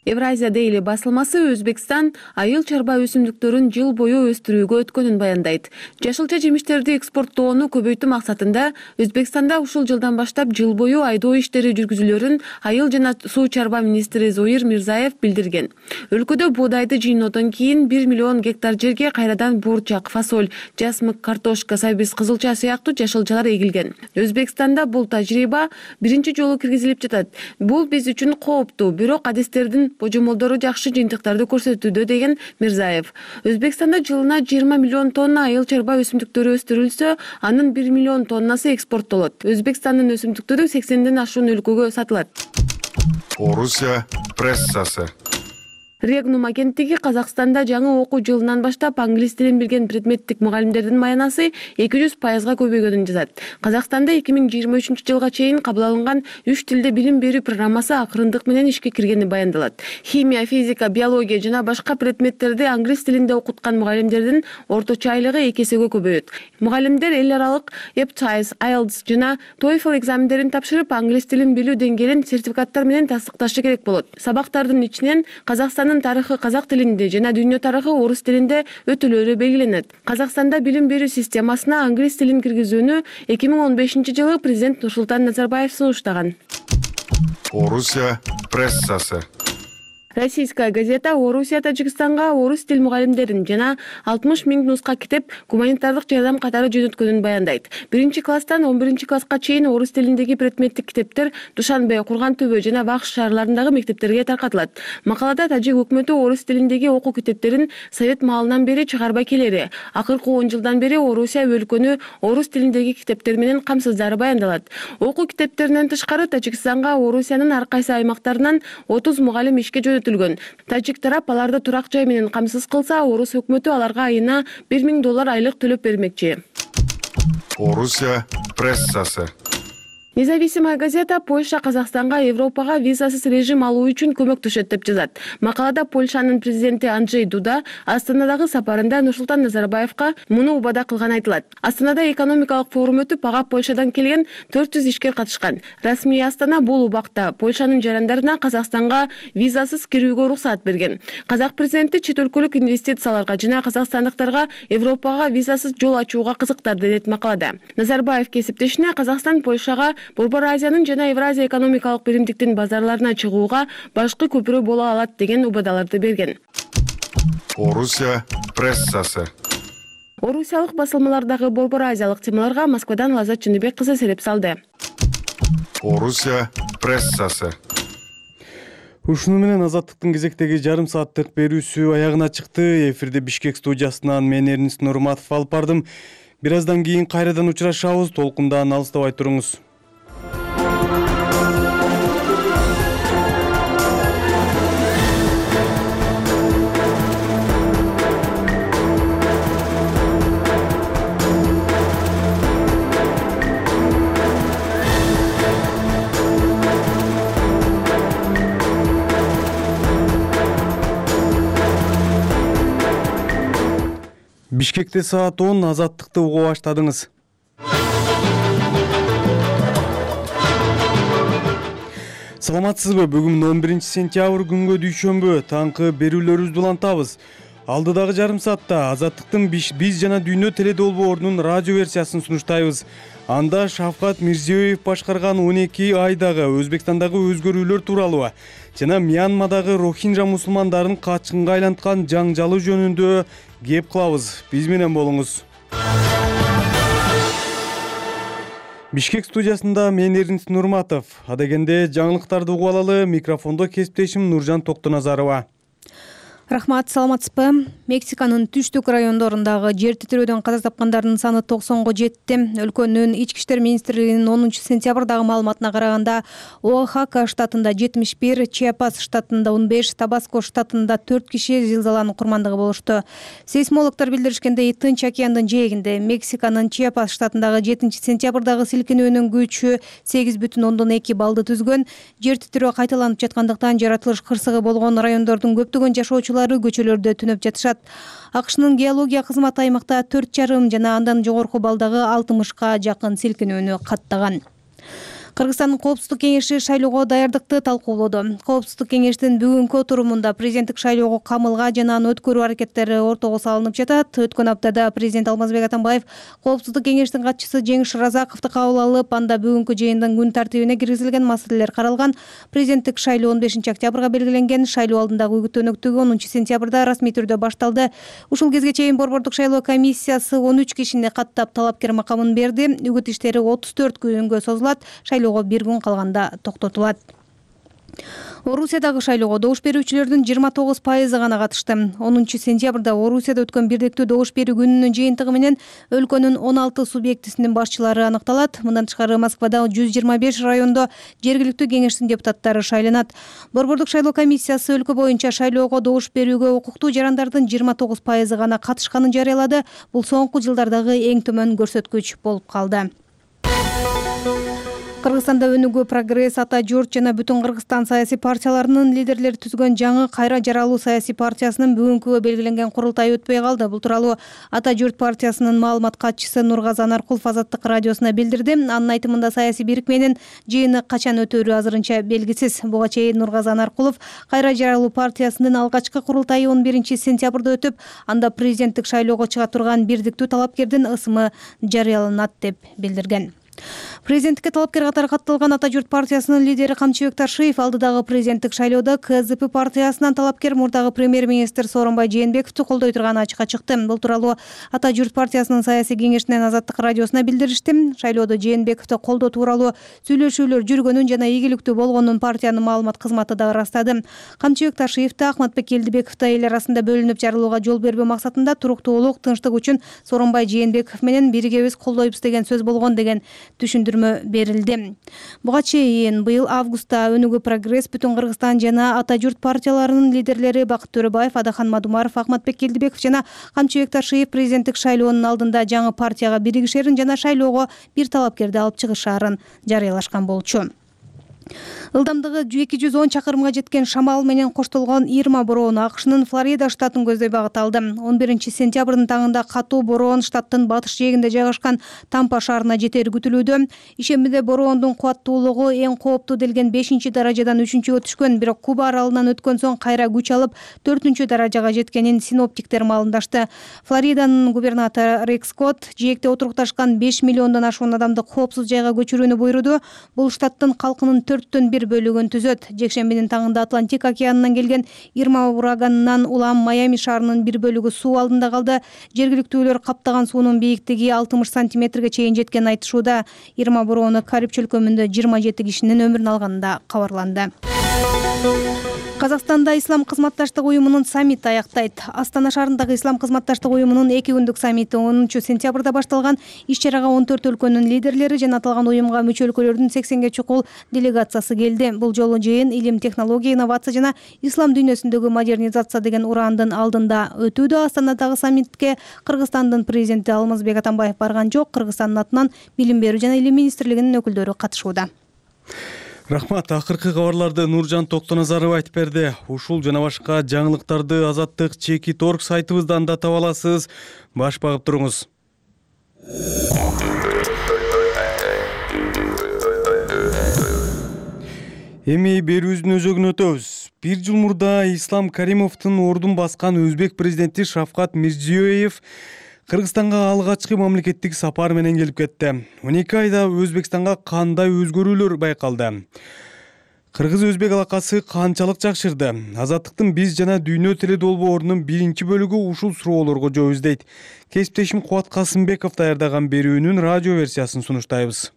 Евразия Дейли басылмасы Өзбекстан айыл чарба өсүмдүктөрүн жыл бою өстүрүүгө өткөнүн баяндайт. Жашылча жемиштерди экспорттоону көбөйтүү максатында Өзбекстанда ушул жылдан баштап жыл бою айдоо иштери жүргүзүлөрүн айыл жана суу чарба министри Зоир Мирзаев билдирген. Өлкөдө боодайды жыйноодон кийин 1 миллион гектар жерге кайрадан бурчак, фасоль, жасмык, картошка, сабиз, кызылча сыяктуу жашылчалар эгилген. Өзбекстанда бул тажрыйба биринчи жолу киргизилип жатат. Бул биз үчүн кооптуу, бирок адистердин божомолдору жакшы жыйынтыктарды көрсөтүүдө, деген Мирзаев. Өзбекстанда жылына 20 миллион тонна айыл чарба өсүмдүктөрү өстүрүлсө, анын 1 миллион тоннасы экспорттолот. Өзбекстандын өсүмдүктөрү 80ден ашуун өлкөгө сатылат. Орусия прессасы. Регнум агенттиги Казакстанда жаңы окуу жылынан баштап англис тилин билген предметтик мугалимдердин маянасы 200%га көбөйгөнүн жазат. Казакстанда 2023 жылга чейин кабыл алынган 3 тилде билим берүү программасы акырындык менен ишке киргени баяндалат. Химия, физика, биология жана башка предметтерди англис тилинде окуткан мугалимдердин орточо айлыгы 2 эсеге көбөйөт. Мугалимдер эл аралык EBTIS, IELTS жана TOEFL экзамендерин тапшырып, англис тилин билүү деңгээлин сертификаттар менен тастыкташы керек болот. Сабактардын ичинен Казакстандын тарыхы казак тилинде жана дүйнө тарыхы орус тилинде өтүүлөрү белгиленет. Казакстанда билим берүү системасына англис тилин киргизүүнү 2015 жылы президент Нурсултан Назарбаев сунуштаган. Орусия прессасы. Российская газета Орусия Тажикстанга орус тил мугалимдерин жана 60 000 нуска китеп гуманитардык жардам катары жөнөткөнүн баяндайт. 1-класстан 11-класска чейин орус тилиндеги предметтик китептер Душанбе, Курган-Төбө жана Бакш шаарларындагы мектептерге таркатылат. Макалада тажик өкмөтү орус тилиндеги окуу китептерин совет маалынан бери чыгарбай келери. Акыркы 10 жылдан бери Орусия өлкөнү орус тилиндеги китептер менен камсыздары баяндалат. Окуу китептеринен тышкары Тажикстанга Орусиянын ар кайсы аймактарынан 30 мугалим ишке Тажик тарап аларды турак жай менен камсыз кылса, орус өкмөтү аларга айына $1000 айлык төлөп бермекчи. Орусия прессасы. Независимая газета Польша Казакстанга Европага визасыз режим алуу үчүн көмөктөшөт деп жазат. Макалада Польшанын президенти Анджей Дуда Астанадагы сапарында Нурсултан Назарбаевка муну убада кылганы айтылат. Астанада экономикалык форум өтүп, ага Польшадан келген 400 ишкер катышкан. Расмий Астана бул убакта Польшанын жарандарына Казакстанга визасыз кирүүгө уруксаат берген. Казак президенти чет өлкөлүк инвестицияларга жана казакстандыктарга Европага визасыз жол ачууга кызыктар, дейт макалада. Назарбаев кесиптешине Казакстан Польшага Борбор Азиянын жана Евразия экономикалык биримдиктин базарларына чыгууга башкы көпүрө боло алат деген убадаларды берген. Орусия прессасы. Орусиялык басылмалардагы Борбор Азиялык темаларга Москвадан Лазат Жаныбек кызы сереп салды. Орусия прессасы. Ушуну менен Азаттыктын кезектеги жарым сааттык берүүсү аягына чыкты. Эфирде Бишкек студиясынан мен Эрнис Нурматов алып бардым. Бир аздан кийин кайрадан учурашабыз. Толкундан алыстабай туруңуз. Бишкекте саат 10 азаттыкты уга баштадыңыз. Саламатсызбы? Бүгүн 11 сентябрь күнгө дүйшөмбү таңкы берүүлөрүбүздү улантабыз. Алдыдагы жарым саатта Азаттыктын биз жана дүйнө теледолбоорунун радио версиясын сунуштайбыз. Анда Шавкат Мирзиёев башкарган 12 айдагы Өзбекстандагы өзгөрүүлөр тууралуу жана Мьянмадагы рохинжа мусулмандарын качкынга айланткан жаңжалы жөнүндө кеп кылабыз. Биз менен болуңуз. Бишкек студиясында мен Эрнис Нурматов. Адегенде жаңылыктарды угуп алалы. Микрофондо кесиптешим Нуржан Токтоназарова. Рахмат, саламатсызбы? Мексиканын түштүк райондорундагы жер титирөөдөн каза тапкандардын саны 90го жетти. Өлкөнүн ички иштер министрлигинин 10 сентябрдагы маалыматына караганда, Оахака штатында 71, Чиапас штатында 15, Табаско штатында 4 киши зилзаланын курмандыгы болушту. Сейсмологдор билдиришкендей, Тынч океандын жээгинде Мексиканын Чиапас штатындагы 7 сентябрдагы силкинүүнүн күчү 8,2 баллды түзгөн. Жер титирөө кайталанып жаткандыктан жаратылыш кырсыгы болгон райондордун көптөгөн жашоочулары көчөлөрдө түнөп жатышат. АКШнын геология кызматы аймакта 4,5 жана андан жогорку балдагы 60га жакын силкинүүнү каттаган. Кыргызстандын Коопсуздук кеңеши шайлоого даярдыкты талкуулоду. Коопсуздук кеңештин бүгүнкү отурумунда президенттик шайлоого камылга жана аны өткөрүү аракеттери ортого салынып жатат. Өткөн аптада президент Алмазбек Атамбаев Коопсуздук кеңештин катчысы Жеңиш Разаковду кабыл алып, анда бүгүнкү жыйындын күн тартибине киргизилген маселелер каралган. Президенттик шайлоо 15 октябрга белгиленген. Шайлоо алдындагы үгүт өнөктүгү 10 сентябрда расмий түрдө башталды. Ушул кезге чейин Борбордук шайлоо комиссиясы 13 кишини каттап талапкер макамын берди. Үгүт иштери 34 күнгө созулат. Шайлоого 1 күн калганда токтотулат. Орусиядагы шайлоого добуш берүүчүлөрдүн 29% гана катышты. 10 сентябрда Орусияда өткөн бирдиктүү добуш берүү күнүнүн жыйынтыгы менен өлкөнүн 16 субъектисинин башчылары аныкталат. Мындан тышкары Москвада 125 райондо жергиликтүү кеңештин депутаттары шайланат. Борбордук шайлоо комиссиясы өлкө боюнча шайлоого добуш берүүгө укуктуу жарандардын 29% гана катышканын жарыялады. Бул соңку жылдардагы эң төмөн көрсөткүч болуп калды. Кыргызстанда Өнүгүү, Прогресс, Ата Журт жана Бүтүн Кыргызстан саясий партияларынын лидерлери түзгөн жаңы Кайра жаралуу саясий партиясынын бүгүнкү белгиленген курултайы өтпөй калды. Бул тууралуу Ата Журт партиясынын маалымат катчысы Нургазы Анаркулов Азаттык радиосуна билдирди. Анын айтымында саясий бирикменин жыйыны качан өтөөрү азырынча белгисиз. Буга чейин Нургазы Анаркулов Кайра жаралуу партиясынын алгачкы курултайы 11 сентябрда өтүп, анда президенттик шайлоого чыга турган бирдиктүү талапкердин ысымы жарыяланат деп билдирген. Президенттикке талапкер катары катталган Ата Журт партиясынын лидери Камчыбек Ташиев алдыдагы президенттик шайлоодо КЗП партиясынан талапкер мурдагы премьер-министр Сооронбай Жээнбековду колдой турганы ачыкка чыкты. Бул тууралуу Ата Журт партиясынын саясий кеңешинен Азаттык радиосуна билдиришти. Шайлоодо Жээнбековду колдоо тууралуу сүйлөшүүлөр жүргөнүн жана ийгиликтүү болгонун партиянын маалымат кызматы да ырастады. Камчыбек Ташиев да Ахматбек Элдибеков да эл арасында бөлүнүп жарылууга жол бербөө максатында туруктуулук, тынчтык үчүн Сооронбай Жээнбеков менен биригебиз колдойбуз деген сөз болгон деген түшүндүрмө берилди. Буга чейин быйыл августта Өнүгүү, Прогресс, Бүтүн Кыргызстан жана Ата Журт партияларынын лидерлери Бакыт Төрөбаев, Адахан Мадумаров, Ахматбек Элдибеков жана Камчыбек Ташиев президенттик шайлоонун алдында жаңы партияга биригишерин жана шайлоого бир талапкерди алып чыгышаарын жарыялашкан болчу. Ылдамдыгы 210 чакырымга жеткен шамал менен коштолгон Ирма бороону АКШнын Флорида штатын көздөй багыт алды. 11 сентябрдын таңында катуу бороон штаттын батыш жээгинде жайгашкан Тампа шаарына жетери күтүлүүдө. Ишембиде бороондун кубаттуулугу эң кооптуу делген 5-даражадан 3-гө түшкөн, бирок Куба аралынан өткөн соң кайра күч алып 4-даражага жеткенин синоптиктер маалымдашты. Флориданын губернатору Рик Скотт жээкте отурукташкан 5 миллиондон ашуун адамды коопсуз жайга көчүрүүнү буйруду. Бул штаттын калкынын 4/1 бөлүгүн түзөт. Жекшембинин таңында Атлантик океанынан келген Ирма ураганынан улам Майами шаарынын бир бөлүгү суу алдында калды. Жергиликтүүлөр каптаган суунун бийиктиги 60 сантиметрге чейин жеткенин айтышууда. Ирма бороону Кариб чөлкөмүндө 27 кишинин өмүрүн алганында кабарланды. Казакстанда Ислам кызматташтык уюмунун саммити аяктайт. Астана шаарындагы Ислам кызматташтык уюмунун 2 күндүк саммити 10 сентябрда башталган. Иш-чарага 14 өлкөнүн лидерлери жана аталган уюмга мүчө өлкөлөрдүн 80ге чукул делегациясы келди. Бул жолу жыйын илим, технология, инновация жана ислам дүйнөсүндөгү модернизация деген урандын алдында өтүүдө. Астанадагы саммитке Кыргызстандын президенти Алмазбек Атамбаев барган жок. Кыргызстандын атынан билим берүү жана илим министрлигинин өкүлдөрү катышууда. Рахмат. Акыркы кабарларды Нуржан Токтоназаров айтып берди. Ушул жана башка жаңылыктарды Азаттык Чекит.орг сайтыбыздан да таба аласыз. Баш багып туруңуз. Эми берүүбүздүн өзөгүнө өтөбүз. Бир жыл мурда Ислам Каримовдун ордун баскан өзбек президенти Шавкат Мирзиёев Кыргызстанга алгачкы мамлекеттик сапар менен келип кетти. 12 айда Өзбекстанга кандай өзгөрүүлөр байкалды? Кыргыз-өзбек алакасы канчалык жакшырды? Азаттыктын биз жана дүйнө теле долбоорунун биринчи бөлүгү ушул суроолорго жооп издейт. Кесиптешим Кубат Касымбеков даярдаган берүүнүн радио версиясын сунуштайбыз.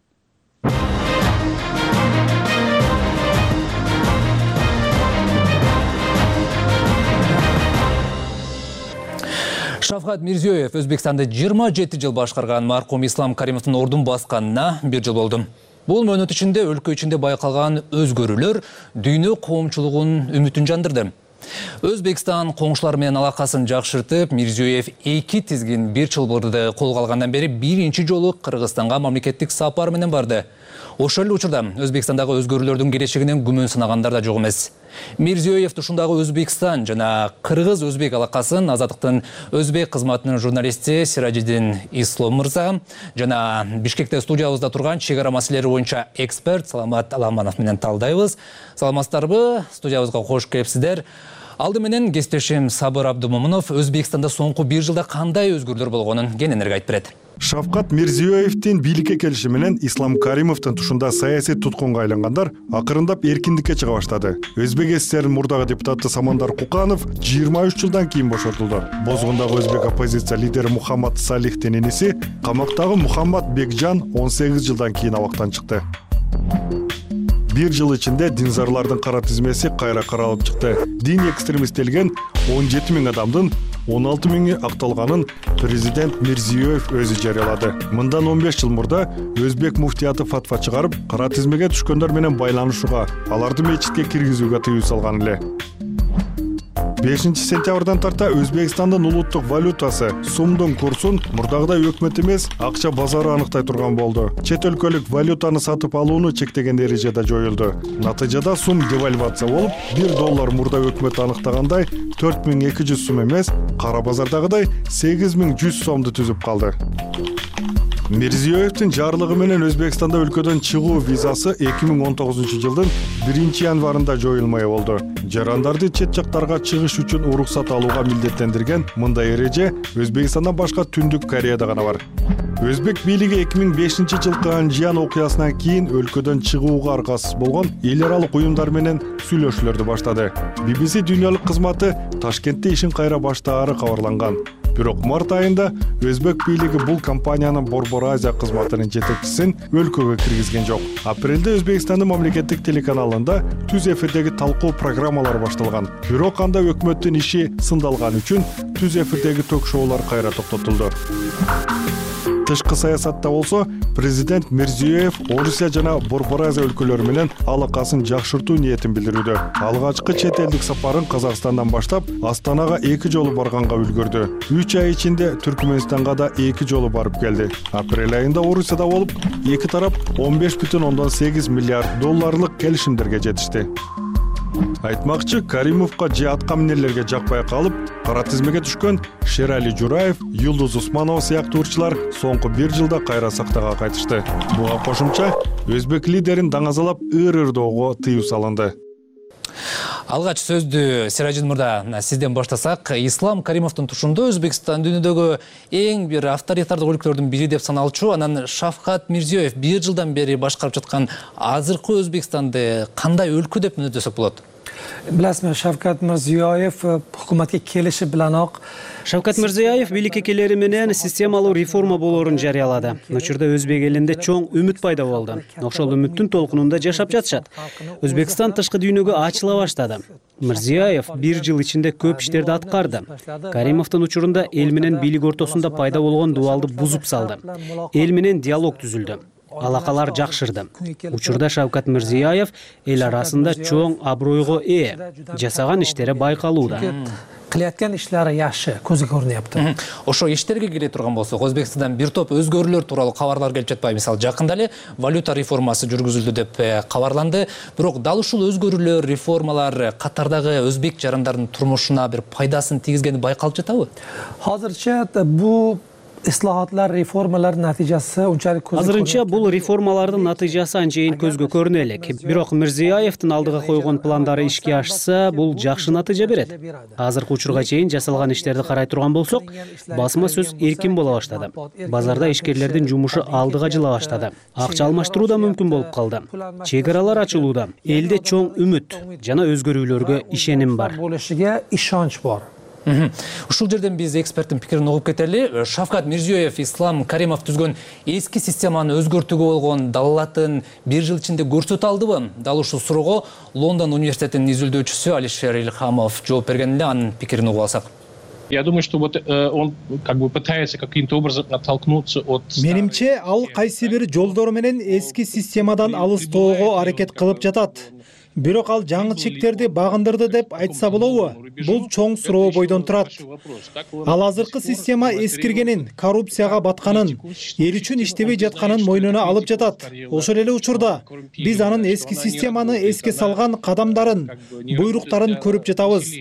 Шавкат Мирзиёев Өзбекстанды 27 жыл башкарган маркум Ислам Каримовдун ордун басканына 1 жыл болду. Бул мөөнөт ичинде өлкө ичинде байкалган өзгөрүүлөр дүйнө коомчулугунун үмүтүн жандырды. Өзбекстан коңшулар менен алакасын жакшыртып, Мирзиёев 2 тизгин 1 чылбырды колго алгандан бери биринчи жолу Кыргызстанга мамлекеттик сапар менен барды. Ошол эле учурда Өзбекстандагы өзгөрүүлөрдүн келечегинен күмөн сынагандар да жок эмес. Мирзиёев ушундагы Өзбекстан жана Кыргыз-өзбек алакасын Азаттыктын өзбек кызматынын журналисти Сиражиддин Ислом мырза жана Бишкекте студиябызда турган чек ара маселелери боюнча эксперт Саламат Аламанов менен талдайбыз. Саламатсыздарбы? Студиябызга кош келипсиздер. Алды менен кесиптешим Сабыр Абдумомунов Өзбекстанда соңку 1 жылда кандай өзгөрүүлөр болгонун кененирээк айтып берет. Шавкат Мирзиёевдин бийликке келиши менен Ислам Каримовдун тушунда саясий туткунга айлангандар акырындап эркиндикке чыга баштады. Өзбек ССРнин мурдагы депутаты Самандар Куканов 23 жылдан кийин бошотулду. Бозгундагы өзбек оппозиция лидери Мухаммад Салихтин иниси, камактагы Мухаммад Бекжан 18 жылдан кийин абактан чыкты. 1 жыл ичинде динзарлардын кара тизмеси кайра каралып чыкты. Дин экстремисттелген 17 000 адамдын 16 000 акталганын президент Мирзиёев өзү жарыялады. Мындан 15 жыл мурда өзбек муфтияты фатва чыгарып, кара тизмеге түшкөндөр менен байланышууга, аларды мечитке киргизүүгө тыюу салган эле. 5 сентябрдан тарта Өзбекстандын улуттук валютасы сумдун курсун мурдагыдай өкмөт эмес, акча базары аныктай турган болду. Чет өлкөлүк валютаны сатып алууну чектеген эреже да жоюлду. Натыйжада сум девальвация болуп, $1 мурда өкмөт аныктагандай 4200 сум эмес, кара базардагыдай 8100 сомду түзүп калды. Мирзиёевдин жарлыгы менен Өзбекстанда өлкөдөн чыгуу визасы 2019 жылдын 1 январында жоюлмай болду. Жарандарды чет жактарга чыгыш үчүн уруксат алууга милдеттендирген мындай эреже Өзбекстандан башка Түндүк Кореяда гана бар. Өзбек бийлиги 2005 жылкы Анжиян окуясынан кийин өлкөдөн чыгууга аргасыз болгон эл аралык уюмдар менен сүйлөшүүлөрдү баштады. BBC дүйнөлүк кызматы Ташкентте ишин кайра баштаары кабарланган. Бирок март айында өзбек бийлиги бул компаниянын Борбор Азия кызматынын жетекчисин өлкөгө киргизген жок. Апрелде Өзбекстандын мамлекеттик телеканалында түз эфирдеги талкуу программалар башталган. Бирок анда өкмөттүн иши сындалган үчүн түз эфирдеги ток-шоулар кайра токтотулду. Тышкы саясатта болсо, президент Мирзиёев Орусия жана Борбор Азия өлкөлөрү менен алакасын жакшыртуу ниетин билдирүүдө. Алгачкы чет элдик сапарын Казакстандан баштап, Астанага 2 жолу барганга үлгүрдү. 3 ай ичинде Түркмөнстанга да 2 жолу барып келди. Апрель айында Орусияда болуп, эки тарап $15,8 миллиард келишимдерге жетишти. Айтмакчы, Каримовго же атка минерлерге жакпай калып, кара тизмеге түшкөн Шерали Жураев, Юлдуз Усманова сыяктуу ырчылар соңку 1 жылда кайра сактага кайтышты. Буга кошумча өзбек лидерин даңазалап ыр-ырдоого тыюу салынды. Алгач сөздү Сиражиддин мырза сизден баштасак, Ислам Каримовдун тушунда Өзбекстан дүйнөдөгү эң бир авторитардык өлкөлөрдүн бири деп саналчу, анан Шавкат Мирзиёев 1 жылдан бери башкарып жаткан азыркы Өзбекстанды кандай өлкө деп мүнөттөсөк болот? Биласызбы, Шавкат Мирзиёев өкмөткө келиши биланоq Шавкат Мирзиёев бийликке келери менен системалуу реформа болоорун жарыялады. Учурда өзбек элинде чоң үмүт пайда болду. Ошол үмүттүн толкунунда жашап жатышат. Өзбекстан тышкы дүйнөгө ачыла баштады. Мирзиёев 1 жыл ичинде көп иштерди аткарды. Каримовдун учурунда эл менен бийлик ортосунда пайда болгон дубалды бузуп салды. Эл менен диалог түзүлдү. Алакалар жакшырды. Учурда Шавкат Мирзиёев эл арасында чоң абройго ээ, жасаган иштери байкалууда. кыляткан иштери жакшы көзгө көрүнүптү. Ошо иштерге келе турган болсок, Өзбекстандан бир топ өзгөрүүлөр тууралуу кабарлар келип жатпайбы? Мисалы, жакында эле валюта реформасы жүргүзүлдү деп кабарланды. Бирок дал ушул өзгөрүүлөр, реформалар катардагы өзбек жарандардын турмушуна бир пайдасын тийгизгени байкалып жатабы? Азырынча бул ислахатлар, реформалар натыйжасы унчалык көзгө азырынча бул реформалардын натыйжасы анчейин көзгө көрүнө элек. Бирок Мирзиёевдин алдыга койгон пландары ишке ашса, бул жакшы натыйжа берет. Азыркы учурга чейин жасалган иштерди карай турган болсок, басма сөз эркин боло баштады. Базарда ишкерлердин жумушу алдыга жыла баштады. Акча алмаштыруу да мүмкүн болуп калды. Чек-аралар ачылууда. Элде чоң үмүт жана өзгөрүүлөргө ишеним бар. Болушуга ишонч бар. Ушул жерден биз эксперттин пикирин угуп кетели. Шавкат Мирзиёев Ислам Каримов түзгөн эски системаны өзгөртүүгө болгон далалатын бир жыл ичинде көрсөтө алдыбы? Дал ушул суроого Лондон университетинин изилдөөчүсү Алишер Ильхамов жооп бергенде анын пикирин угуп алсак. Я думаю, что вот он как бы пытается каким-то образом оттолкнуться от... Менимче, ал кайсы бир жолдор менен эски системадан алыстоого аракет кылып жатат. Бирок ал жаңы чектерди багындырды деп айтса болобу? Бул чоң суроо бойдон турат. Ал азыркы система эскиргенин, коррупцияга батканын, эл үчүн иштебей жатканын мойнуна алып жатат. Ошол эле учурда биз анын эски системаны эске салган кадамдарын, буйруктарын көрүп жатабыз.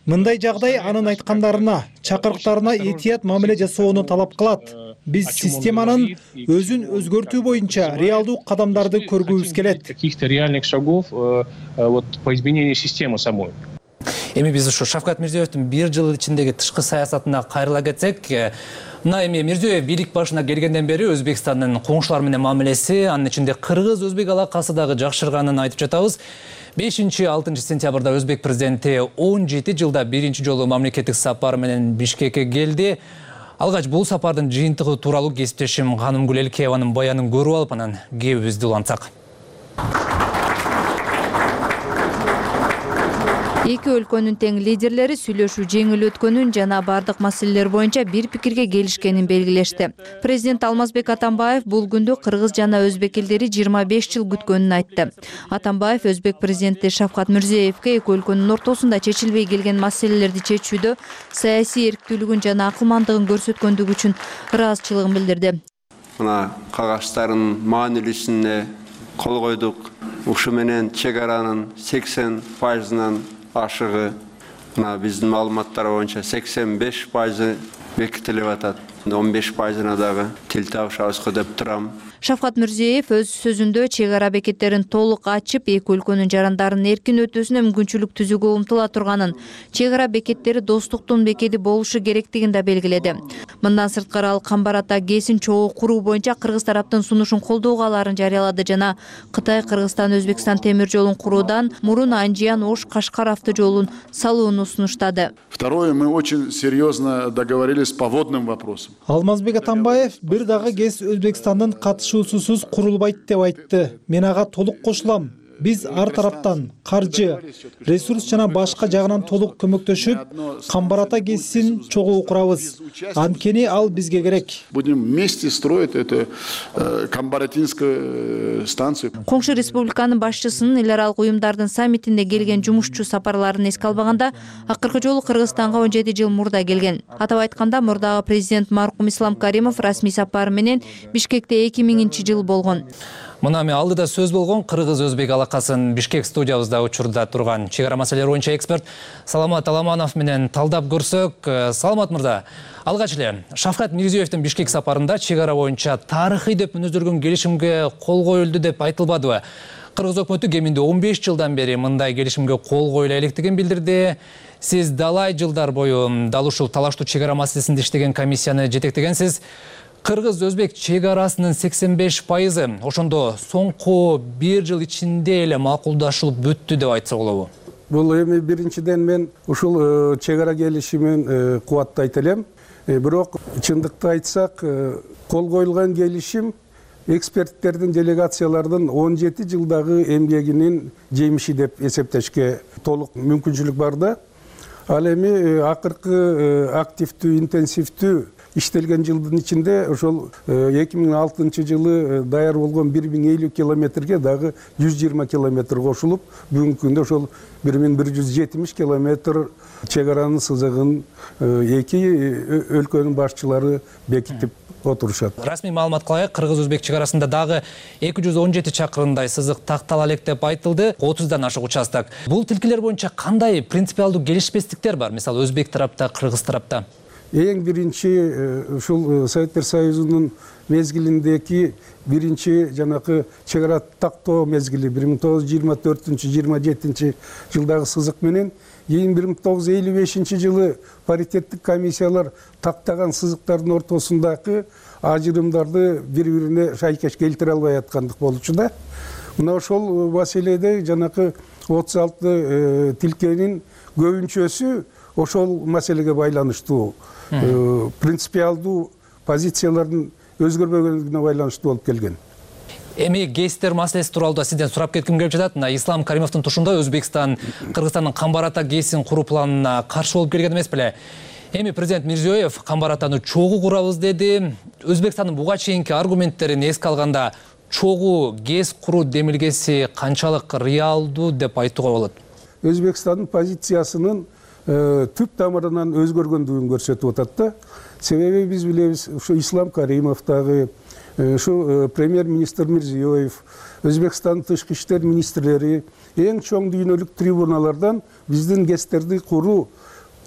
Мындай жагдай анын айткандарына, чакырыктарына этият мамиле жасоону талап кылат. Биз системанын өзүн өзгөртүү боюнча реалдуу кадамдарды көргүбүз келет. Каких-то реальных шагов вот по изменению системы самой. Эми биз ушу Шавкат Мирзиёевдин бир жыл ичиндеги тышкы саясатына кайрыла кетсек, мына эми Мирзиёев бийлик башына келгенден бери Өзбекстандын коңшулар менен мамилеси, анын ичинде кыргыз-өзбек алакасы дагы жакшырганын айтып жатабыз. 5-6 сентябрда Өзбек президенти 17 жылда биринчи жолу мамлекеттик сапар менен Бишкекке келди. Алгач бул сапардын жыйынтыгы тууралуу кесиптешим Канымгүл Элкееванын баянын көрүп алып, анан кебибизди улантсак. Эки өлкөнүн тең лидерлери сүйлөшүү жеңил өткөнүн жана бардык маселелер боюнча бир пикирге келишкенин белгилешти. Президент Алмазбек Атамбаев бул күндү кыргыз жана өзбек элдери 25 жыл күткөнүн айтты. Атамбаев өзбек президенти Шавкат Мирзиёевке эки өлкөнүн ортосунда чечилбей келген маселелерди чечүүдө саясий эрктүүлүгүн жана акылмандыгын көрсөткөндүгү үчүн ыраазычылыгын билдирди. Мына кагаштардын маанилүүсүнө кол койдук. Ушу менен чек аранын 80%-нан ашыгы, мына биздин маалыматтар боюнча 85% бекитилип атат. 15%-на дагы тил табышабызга деп турам. Шавкат Мирзиёев өз сөзүндө чек ара бекеттерин толук ачып, эки өлкөнүн жарандарынын эркин өтүүсүнө мүмкүнчүлүк түзүүгө умтула турганын, чек ара бекеттери достуктун бекети болушу керектигин да белгиледи. Мындан сырткары ал Камбарата ГЭСин чогуу куруу боюнча кыргыз тараптын сунушун колдоого аларын жарыялады жана Кытай Кыргызстан Өзбекстан темир жолун куруудан мурун Анжиян Ош Кашкар автожолун салууну сунуштады. Второе, мы очень серьезно договорились по водным вопросам. Алмазбек Атамбаев бир дагы ГЭС Өзбекстандын катышуусусуз курулбайт деп айтты. Мен ага толук кошулам. Биз ар тараптан каржы, ресурс жана башка жагынан толук көмөктөшүп, Камбарата ГЭСин чогуу курабыз. Анткени ал бизге керек. Будем вместе строить эту Камбаратинскую станцию. Коңшу республиканын башчысынын эл аралык уюмдардын саммитинде келген жумушчу сапарларын эске албаганда, акыркы жолу Кыргызстанга 17 жыл мурда келген. Атап айтканда, мурдагы президент маркум Ислам Каримов расмий сапары менен Бишкекте 2000-жыл болгон. Мына эми алдыда сөз болгон кыргыз-өзбек алакасын Бишкек студиябызда учурда турган чек ара маселелери боюнча эксперт Саламат Аламанов менен талдап көрсөк. Саламат мырза, алгач эле Шавкат Мирзиёевдин Бишкек сапарында чек ара боюнча тарыхый деп мүнөздөргөн келишимге кол коюлду деп айтылбадыбы? Кыргыз өкмөтү кеминде 15 жылдан бери мындай келишимге кол коюла элекдигин билдирди. Сиз далай жылдар бою дал ушул талаштуу чек ара маселесинде иштеген комиссияны жетектегенсиз. Кыргыз-өзбек чек арасынын 85%, ошондо соңку бир жыл ичинде эле макулдашылып бүттү деп айтса болобу? Бул эми биринчиден мен ушул чек ара келишимин кубаттайт элем. Бирок чындыкты айтсак, кол коюлган келишим эксперттердин, делегациялардын 17 жылдагы эмгегинин жемиши деп эсептешке толук мүмкүнчүлүк бар да. Ал эми акыркы активдүү, интенсивдүү иштелген жылдын ичинде ошол 2006 жылы даяр болгон 1050 километрге дагы 120 километр кошулуп, бүгүнкү күндө ошол 1170 километр чек аранын сызыгын эки өлкөнүн башчылары бекитип отурушат. Расмий маалыматка ылайык, кыргыз-өзбек чек арасында дагы 217 чакырымдай сызык тактала элек деп айтылды, 30дан ашык участок. Бул тилкелер боюнча кандай принципиалдуу келишпестиктер бар, мисалы өзбек тарапта, кыргыз тарапта? Эң биринчи ушул Советтер Союзунун мезгилиндеги биринчи жанакы чек ара тактоо мезгили 1924-27 жылдагы сызык менен 1955 жылы паритеттик комиссиялар тактаган сызыктардын ортосундагы ажырымдарды бири-бирине шайкеш келтире албай аткандык болчу да. Мына ошол маселеде жанакы 36 тилкенин көбүнчөсү ошол маселеге байланыштуу, принципиалдуу позициялардын өзгөрбөгөндүгүнө байланыштуу болуп келген. Эми гейстер маселеси тууралуу сизден сурап кетким келип жатат. Мына Ислам Каримовдун тушунда Өзбекстан Кыргызстандын Камбар-Ата ГЭСин куруу планына каршы болуп келген эмес беле? Эми президент Мирзиёев Камбар-Атаны чогуу курабыз деди. Өзбекстандын буга чейинки аргументтерин эске алганда чогуу ГЭС куруу демилгеси канчалык реалдуу деп айтууга болот? Өзбекстандын позициясынын түп тамырынан өзгөргөндүгүн көрсөтүп атат да. Себеби биз билебиз, ушу Ислам Каримов дагы, ушу премьер-министр Мирзиёев, Өзбекстандын тышкы иштер министрлери эң чоң дүйнөлүк трибуналардан биздин ГЭСтерди куруу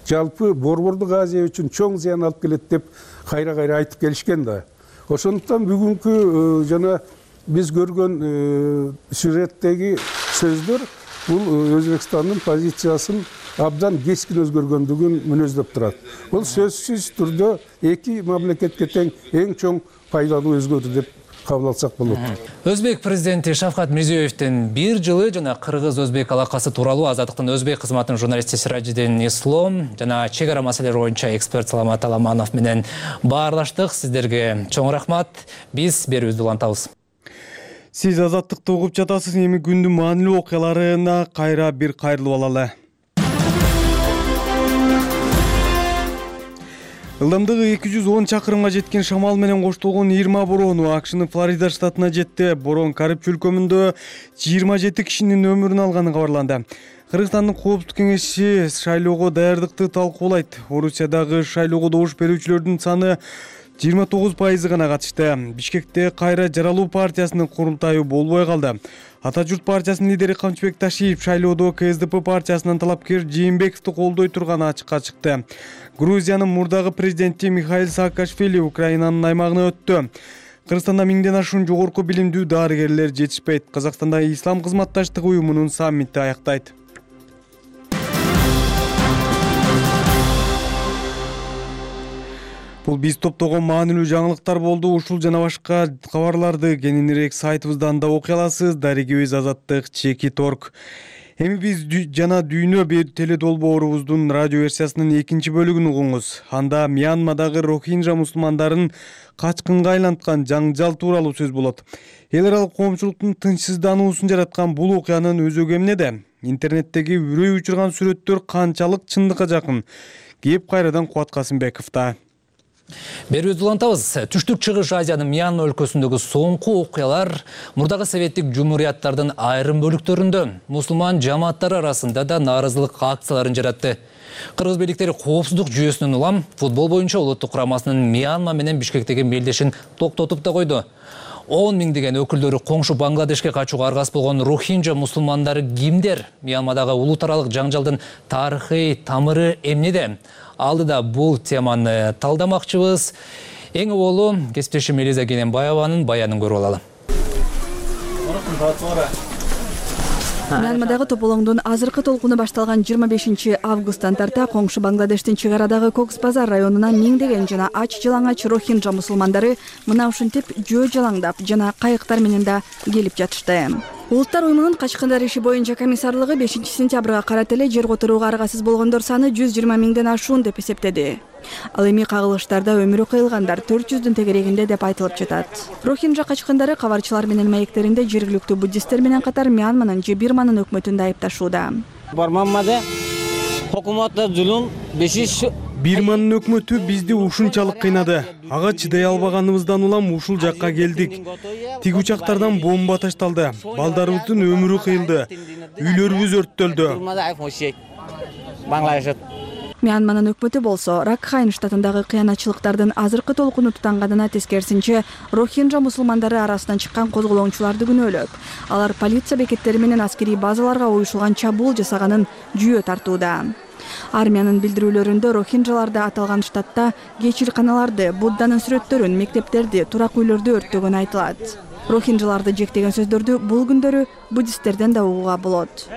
жалпы Борбордук Азия үчүн чоң зыян алып келет деп кайра-кайра айтып келишкен да. Ошондуктан бүгүнкү жана биз көргөн сюжеттеги сөздөр бул Өзбекстандын позициясын абдан кескин өзгөргөндүгүн мүнөздөп турат. Бул сөзсүз түрдө эки мамлекетке тең эң чоң пайдалуу өзгөрүү деп кабыл алсак болот. Өзбек президенти Шавкат Мирзиёевдин 1 жылы жана кыргыз-өзбек алакасы тууралуу Азаттыктын өзбек кызматынын журналисти Сиражидин Ислом жана чек ара маселелери боюнча эксперт Саламат Аламанов менен баарлаштык. Сиздерге чоң рахмат. Биз берүүбүздү улантабыз. Сиз Азаттыкты угуп жатасыз. Эми күндүн маанилүү окуяларына кайра бир кайрылып алалы. Ылдамдыгы 210 чакырымга жеткен шамал менен коштолгон 20 бороону АКШнын Флорида штатына жетти. Борон Кариб чөлкөмүндө 27 кишинин өмүрүн алганы кабарланды. Кыргызстандын Коопсуздук кеңеши шайлоого даярдыкты талкуулайт. Орусиядагы шайлоого добуш берүүчүлөрдүн саны 29% гана катышты. Бишкекте кайра жаралуу партиясынын курултайы болбой калды. Ата журт партиясынын лидери Камчыбек Ташиев шайлоодо КСДП партиясынын талапкер Жээнбековду колдой турганы ачыкка чыкты. Грузиянын мурдагы президенти Михаил Саакашвили Украинанын аймагына өттү. Кыргызстанда 1000ден ашуун жогорку билимдүү дарыгерлер жетишпейт. Казакстанда Ислам кызматташтыгы уюмунун саммити аяктайт. Бул биз топтогон маанилүү жаңылыктар болду. Ушул жана башка кабарларды кененирээк сайтыбыздан да окуй аласыз. Дарегибиз Азаттык /.org. Эми биз жана дүйнө теледолбоорубуздун радио версиясынын 2 бөлүгүн угуңуз. Анда Мьянмадагы рохинжа мусулмандарын качкынга айланткан жаңжал тууралуу сөз болот. Эл аралык коомчулуктун тынчсыздануусун жараткан бул окуянын өзөгү эмнеде? Интернеттеги үрөй учурган сүрөттөр канчалык чындыкка жакын? Кеп кайрадан Кубат Касымбековдо. Берүүбүздү улантабыз. Түштүк Чыгыш Азиянын Мьянма өлкөсүндөгү соңку окуялар мурдагы советтик жумурияттардын айрым бөлүктөрүндө мусулман жамааттары арасында да нааразылык акцияларын жаратты. Кыргыз бийликтери коопсуздук жүйөсүнүн улам футбол боюнча улуттук курамасынын Мьянма менен Бишкектеги мелдешин токтотуп да койду. 10 миңдеген өкүлдөрү коңшу Бангладешке качууга аргас болгон рохинжа мусулмандары кимдер? Мьянмадагы улут аралык жаңжалдын тарыхый тамыры эмнеде? Алдыда бул теманы талдамакчыбыз. Эң оболу кесиптешим Элиза Кененбаеванын баянын көрүп алалы. Мьянмадагы тополоңдун азыркы толкуну башталган 25 августтан тарта коңшу Бангладештин чек арадагы Кокс Базар районуна миңдеген жана ач жалаңач рохинжа мусулмандары мына ушинтип жөө жалаңдап жана кайыктар менен да келип жатышты. Улуттар уюмунун качкындар иши боюнча комиссарлыгы 5 сентябрга карата эле жер которууга аргасыз болгондор саны 120 миңден ашуун деп эсептеди. Ал эми кагылыштарда өмүрү кыйылгандар 400дүн тегерегинде деп айтылып жатат. Рохинжа качкындары кабарчылар менен маектеринде жергиликтүү буддисттер менен катар Мьянманын же Бирманын өкмөтүн да айыпташууда. Бармаммада hükümette zulüm, beşiş Бирманын өкмөтү бизди ушунчалык кыйнады. Ага чыдай албаганыбыздан улам ушул жакка келдик. Тиг учактардан бомба ташталды. Балдарыбыздын өмүрү кыйылды. Үйлөрүбүз өрттөлдү. Мьянманын өкмөтү болсо Ракхайн штатындагы кыянатчылыктардын азыркы толкуну тутанганына тескерисинче Рохинджа мусулмандары арасынан чыккан козголоңчуларды күнөөлөп, алар полиция бекеттери менен аскерий базаларга уюшулган чабуул жасаганын жүйө тартууда. Армиянын билдирүүлөрүндө рохинджаларды аталган штатта кечирканаларды, Будданын сүрөттөрүн, мектептерди, турак үйлөрдү өрттөгөнү айтылат. Рохинджаларды жектеген сөздөрдү бул күндөрү буддисттерден да угууга болот.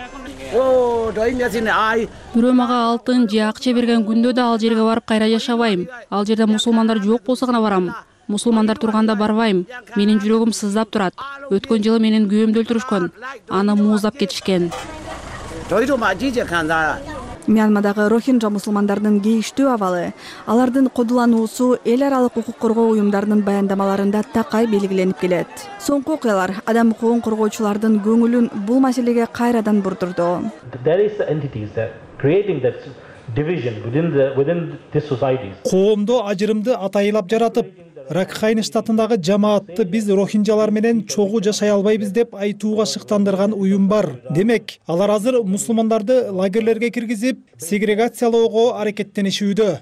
Бирөө мага алтын же акча берген күндө да ал жерге барып кайра жашабайм. Ал жерде мусулмандар жок болсо гана барам. Мусулмандар турганда барбайм. Менин жүрөгүм сыздап турат. Өткөн жылы менин күйөөмдү өлтүрүшкөн. Аны мууздап кетишкен. Мьянмадагы рохинджа мусулмандарынын кейиштүү абалы, алардын кодулануусу эл аралык укук коргоо уюмдарынын баяндамаларында такай белгиленип келет. Соңку окуялар адам укугун коргоочулардын көңүлүн бул маселеге кайрадан бурдурду. Коомдо ажырымды атайылап жаратып, Ракхайн штатындагы жамаатты биз рохинджалар менен чогуу жашай албайбыз деп айтууга шыктандырган уюм бар. Демек, алар азыр мусулмандарды лагерлерге киргизип, сегрегациялоого аракеттенишүүдө.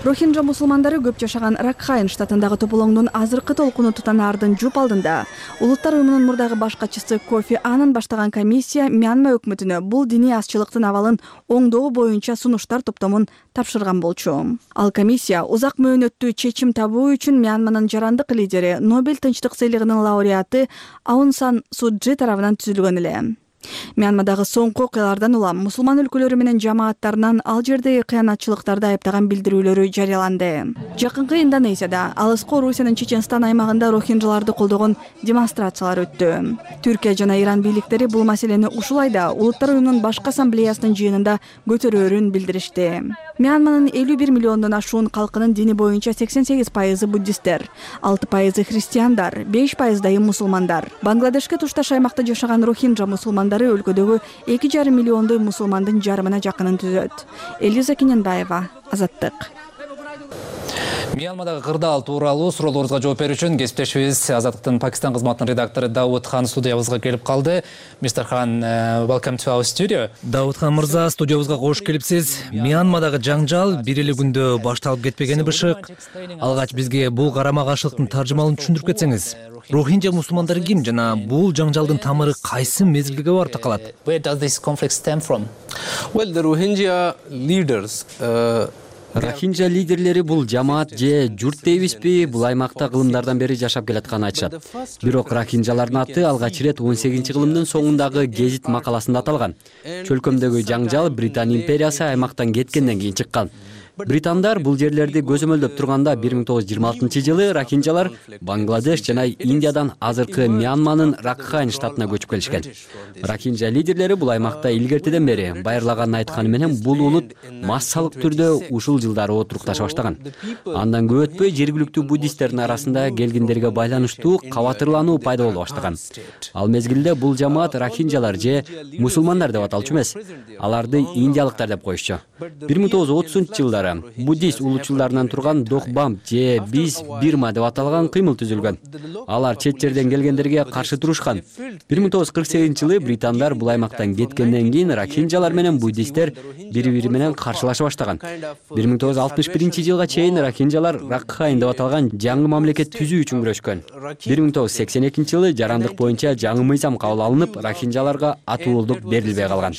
Рохинджа мусулмандары көп жашаган Ракхайн штатындагы тополоңдун азыркы толкуну тутанаардын жуп алдында Улуттар уюмунун мурдагы баш катчысы Кофи Аннан баштаган комиссия Мьянма өкмөтүнө бул диний азчылыктын абалын оңдоо боюнча сунуштар топтомун тапшырган болчу. Ал комиссия узак мөөнөттүү чечим табуу үчүн Мьянманын жарандык лидери, Нобель тынчтык сыйлыгынын лауреаты Аун Сан Су Чжи тарабынан түзүлгөн эле. Мьянмадагы соңку окуялардан улам мусулман өлкөлөрү менен жамааттарынан ал жердеги кыянатчылыктарды айыптаган билдирүүлөрү жарыяланды. Жакынкы Индонезияда, алыскы Орусиянын Чеченстан аймагында рохинджаларды колдогон демонстрациялар өттү. Түркия жана Иран бийликтери бул маселени ушул айда Улуттар уюмунун башкы ассамблеясынын жыйынында көтөрөөрүн билдиришти. Мьянманын 51 миллиондон ашуун калкынын дини боюнча 88% буддисттер, 6% христиандар, 5% мусулмандар. Бангладешке тушташ аймакта жашаган рохинджа мусулмандары өлкөдөгү 2,5 миллиондой мусулмандын жарымына жакынын түзөт. Элиза Кененбаева, Азаттык. Мьянмадагы кырдаал тууралуу суроолорубузга жооп берүү үчүн кесиптешибиз Азаттыктын Пакистан кызматынын редактору Давуд Хан студиябызга келип калды. Мистер Хан, welcome to our studio. Давуд Хан мырза, студиябызга кош келипсиз. Мьянмадагы жаңжал бир эле күндө башталып кетпегени бышык. Алгач бизге бул карама каршылыктын таржымалын түшүндүрүп кетсеңиз. Рохинджа мусулмандары ким жана бул жаңжалдын тамыры кайсы мезгилге барып такалат? Where does this conflict stem from? Well, the Rohingya leaders Рохинджа лидерлери бул жамаат же журт дейбизби, бул аймакта кылымдардан бери жашап келатканын айтышат. Бирок рохинджалардын аты алгач ирет 18-кылымдын соңундагы гезит макаласында аталган. Чөлкөмдөгү жаңжал Британ империясы аймактан кеткенден кийин чыккан. Британдар бул жерлерди көзөмөлдөп турганда 1926-жылы рохинджалар Бангладеш жана Индиядан азыркы Мьянманын Ракхайн штатына көчүп келишкен. Рохинджа лидерлери бул аймакта илгертиден бери байырлаганын айтканы менен бул улут массалык түрдө ушул жылдары отурукташа баштаган. Андан көп өтпөй жергиликтүү буддисттердин арасында келгиндерге байланыштуу кабатырлануу пайда боло баштаган. Ал мезгилде бул жамаат рохинджалар же мусулмандар деп аталчу эмес, аларды индиялыктар деп коюшчу. 1930-жылдары буддист улуучуларынан турган Дохбам же биз Бирма деп аталган кыймыл түзүлгөн. Алар чет жерден келгендерге каршы турушкан. 1948-жылы британдар бул аймактан кеткенден кийин рохинджалар менен буддисттер бири-бири менен каршылаша баштаган. 1961-жылга чейин рохинджалар Ракхайн деп аталган жаңы мамлекет түзүү үчүн күрөшкөн. 1982-жылы жарандык боюнча жаңы мыйзам кабыл алынып, рохинджаларга атуулдук берилбей калган.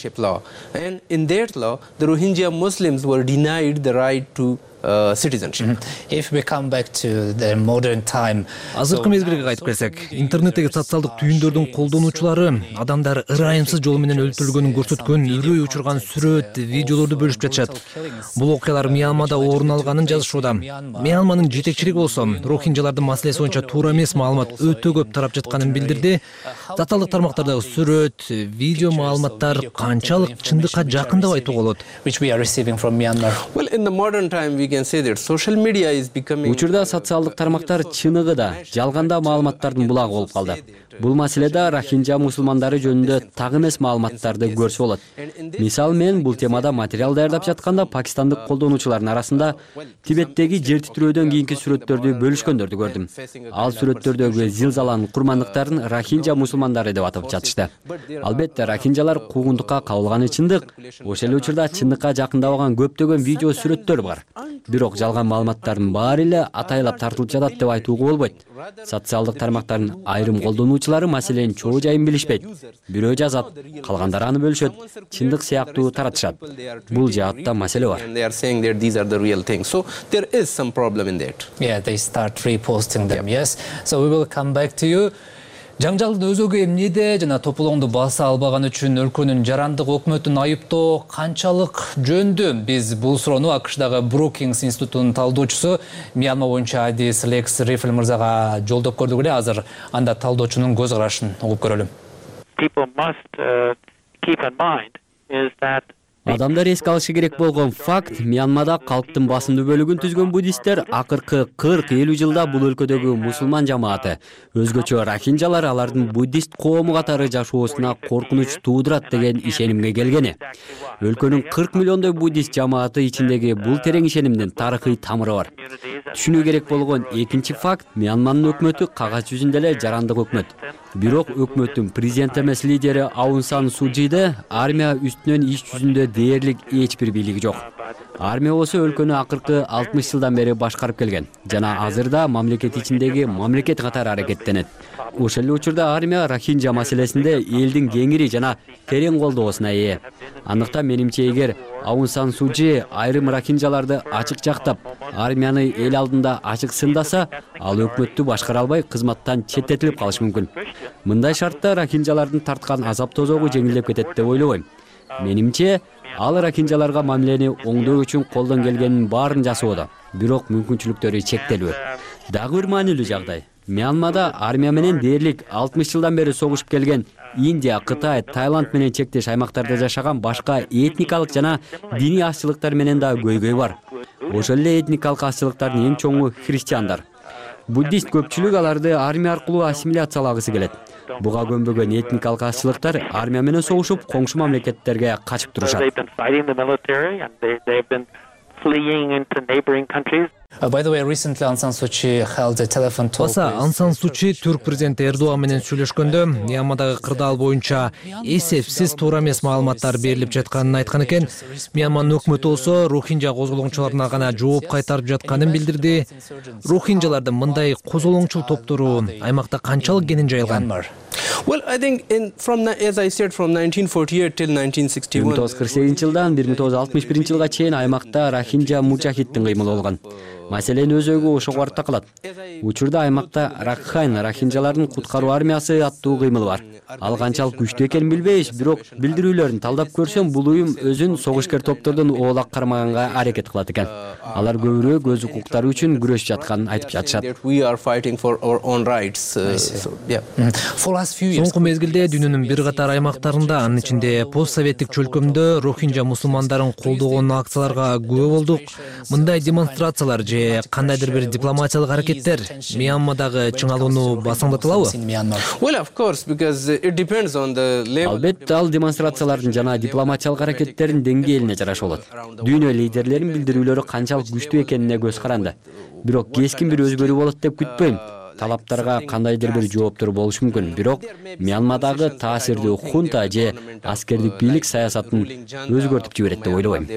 In that law, the Rohingya Muslims were denied the right to citizenship. If we come back to the modern time. Азыркы мезгилге кайтып келсек, интернеттеги социалдык түйүндөрдүн колдонуучулары адамдар ырайымсыз жол менен өлтүрүлгөнүн көрсөткөн, үрөй учурган сүрөт, видеолорду бөлүшүп жатышат. Бул окуялар Мьянмада орун алганын жазышууда. Мьянманын жетекчилиги болсо, рохинджалардын маселеси боюнча туура эмес маалымат өтө көп тарап жатканын билдирди. Социалдык тармактардагы сүрөт, видео маалыматтар канчалык чындыкка жакын деп айтууга болот? Which we are receiving from Myanmar. Well, in the modern time we can say that social media is becoming. Учурда социалдык тармактар чыныгы да, жалганда маалыматтардын булагы болуп калды. Бул маселеде рохинжа мусулмандары жөнүндө так эмес маалыматтарды көрсө болот. Мисалы мен бул темада материал даярдап жатканда пакистандык колдонуучулардын арасында Тибеттеги жер титирөөдөн кийинки сүрөттөрдү бөлүшкөндөрдү көрдүм. Ал сүрөттөрдөгү зилзаланын курмандыктарын рохинжа мусулмандары деп атап жатышты. Албетте рохинжалар куугунтукка кабылганы чындык. Ошол эле учурда чындыкка жакындабаган көптөгөн видео сүрөттөр бар. Бирок жалган маалыматтардын баары эле атайлап тартылып жатат деп айтууга болбойт. Социалдык тармактардын айрым колдонуучулары маселенин чоо жайын билишпейт. Бирөө жазат, калгандары аны бөлүшөт, чындык сыяктуу таратышат. Бул жаатта маселе бар. They start reposting them. Yes. So we will come back to you. Жаңжалдын өзөгү эмнеде жана тополоңду баса албаган үчүн өлкөнүн жарандык өкмөтүн айыптоо канчалык жөндү? Биз бул суроону АКШдагы Брукингс институтунун талдоочусу Мьянма боюнча адис Лекс Рифл мырзага жолдоп көрдүк эле. Азыр анда талдоочунун көз карашын угуп көрөлүм. Адамдар эске алышы керек болгон факт, Мьянмада калктын басымдуу бөлүгүн түзгөн буддисттер акыркы 40-50 жылда бул өлкөдөгү мусулман жамааты, өзгөчө рохинжалар алардын буддист коому катары жашоосуна коркунуч туудурат деген ишенимге келгени. Өлкөнүн 40 миллиондой буддист жамааты ичиндеги бул терең ишенимдин тарыхый тамыры бар. Түшүнүү керек болгон экинчи факт, Мьянманын өкмөтү кагаз жүзүндө эле жарандык өкмөт. Бирок өкмөттүн президент эмес лидери Аун Сан Су Чиде армия үстүнөн иш жүзүндө дээрлик эч бир бийлиги жок. Армия болсо өлкөнү акыркы 60 жылдан бери башкарып келген жана азырда мамлекет ичиндеги мамлекет катары аракеттенет. Ошол эле учурда армия рохинжа маселесинде элдин кеңири жана терең колдоосуна ээ. Андыктан менимче эгер Аун Сан Су Чи айрым рохинжаларды ачык жактап, армияны эл алдында ачык сындаса, ал өкмөттү башкара албай кызматтан четтетилип калышы мүмкүн. Мындай шартта рохинжалардын тарткан азап тозогу жеңилдеп кетет деп ойлобойм. Менимче, ал рохинжаларга мамилени оңдоо үчүн колдон келгенин баарын жасоодо, бирок мүмкүнчүлүктөрү чектелүү. Дагы бир маанилүү жагдай. Мьянмада армия менен дээрлик 60 жылдан бери согушуп келген Индия, Кытай, Таиланд менен чектеш аймактарда жашаган башка этникалык жана диний азчылыктар менен да көйгөй бар. Ошол эле этникалык азчылыктардын эң чоңу христиандар. Буддист көпчүлүк аларды армия аркылуу ассимиляциялагысы келет. Буга көнбөгөн этникалык азчылыктар армия менен согушуп, коңшу мамлекеттерге качып турушат. By the way, recently Aung San Suu Kyi held a telephone talk. Баса Аун Сан Су Чи түрк президенти Эрдоган менен сүйлөшкөндө Мьянмадагы кырдаал боюнча эсепсиз туура эмес маалыматтар берилип жатканын айткан экен. Мьянманын өкмөтү болсо рохинжа козголоңчуларына гана жооп кайтарып жатканын билдирди. Рохинжалардын мындай козголоңчул топтору аймакта канчалык кенен жайылган? Well, I think as I said, from 1948 till 1961. 1948 жылдан 1961 жылга чейин аймакта рохинжа мужахиддин кыймылы болгон. Маселенин өзөгү ошого барып такалат. Учурда аймакта Ракхайн рохинжалардын куткаруу армиясы аттуу кыймыл бар. Ал канчалык күчтүү экенин билбейбиз, бирок билдирүүлөрүн талдап көрсөм, бул уюм өзүн согушкер топтордон оолак кармаганга аракет кылат экен. Алар көбүрөөк өз укуктары үчүн күрөшүп жатканын айтып жатышат. We are fighting for our own rights. Соңку мезгилде дүйнөнүн бир катар аймактарында, анын ичинде постсоветтик чөлкөмдө рохинжа мусулмандарын колдогон акцияларга күбө болдук. Мындай демонстрациялар же кандайдыр бир дипломатиялык аракеттер Мьянмадагы чыңалууну басаңдатылабы? Well, of course, because it depends on the level. Албетте, ал демонстрациялардын жана дипломатиялык аракеттердин деңгээлине жараша болот. Дүйнө лидерлеринин билдирүүлөрү канчалык күчтүү экенине көз каранды. Бирок кескин бир өзгөрүү болот деп күтпөйм. Талаптарга кандайдыр бир жооптор болушу мүмкүн, бирок Мьянмадагы таасирдүү хунта же аскердик бийлик саясатын өзгөртүп жиберет деп ойлобойм.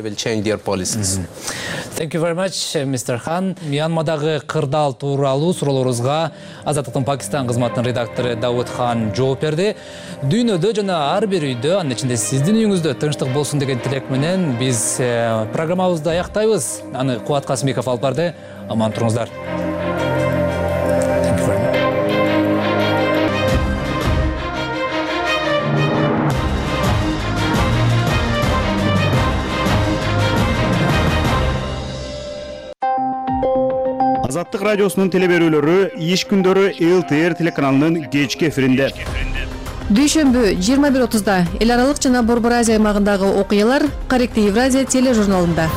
Thank you very much, Mr. Khan. Мьянмадагы кырдаал тууралуу суроолорубузга Азаттыктын Пакистан кызматынын редактору Давуд Хан жооп берди. Дүйнөдө жана ар бир үйдө, анын ичинде сиздин үйүңүздө тынчтык болсун деген тилек менен биз программабызды аяктайбыз. Аны Кубат Касымбеков алып барды. Аман туруңуздар. Азаттык радиосунун телеберүүлөрү иш күндөрү ЛТР телеканалынын кечки эфиринде. Дүйшөмбү 21:30 эл аралык жана Борбор Азия аймагындагы окуялар Каректи Евразия тележурналында.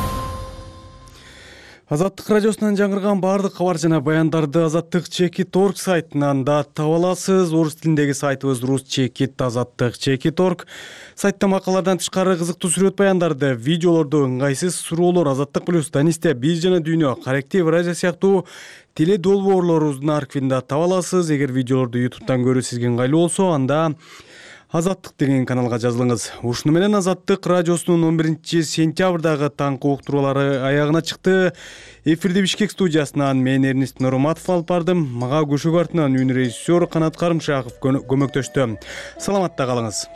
Азаттык радиосунан жаңырган баардык кабар жана баяндарды Азаттык Чекит.орг сайтынан да таба аласыз. Орус тилиндеги сайтыбыз Рус Чекит Азаттык Чекит.орг. Сайтта макалалардан тышкары кызыктуу сүрөт баяндарды, видеолорду, ыңгайсыз суроолор, Азаттык плюс, Данисте, Биз жана Дүйнө, Корректив радио сыяктуу теле долбоорлорубуздун архивинде таба аласыз. Эгер видеолорду YouTube'дан көрүү сизге ыңгайлуу болсо, анда Азаттык деген каналга жазылыңыз. Ушуну менен Азаттык радиосунун 11-сентябрдагы таңкы уктуруулары аягына чыкты. Эфирди Бишкек студиясынан мен Эрнест Нурматов алып бардым. Мага көшөгө артынан үнү режиссер Канат Карымшаков көмөктөштү. Саламатта калыңыз.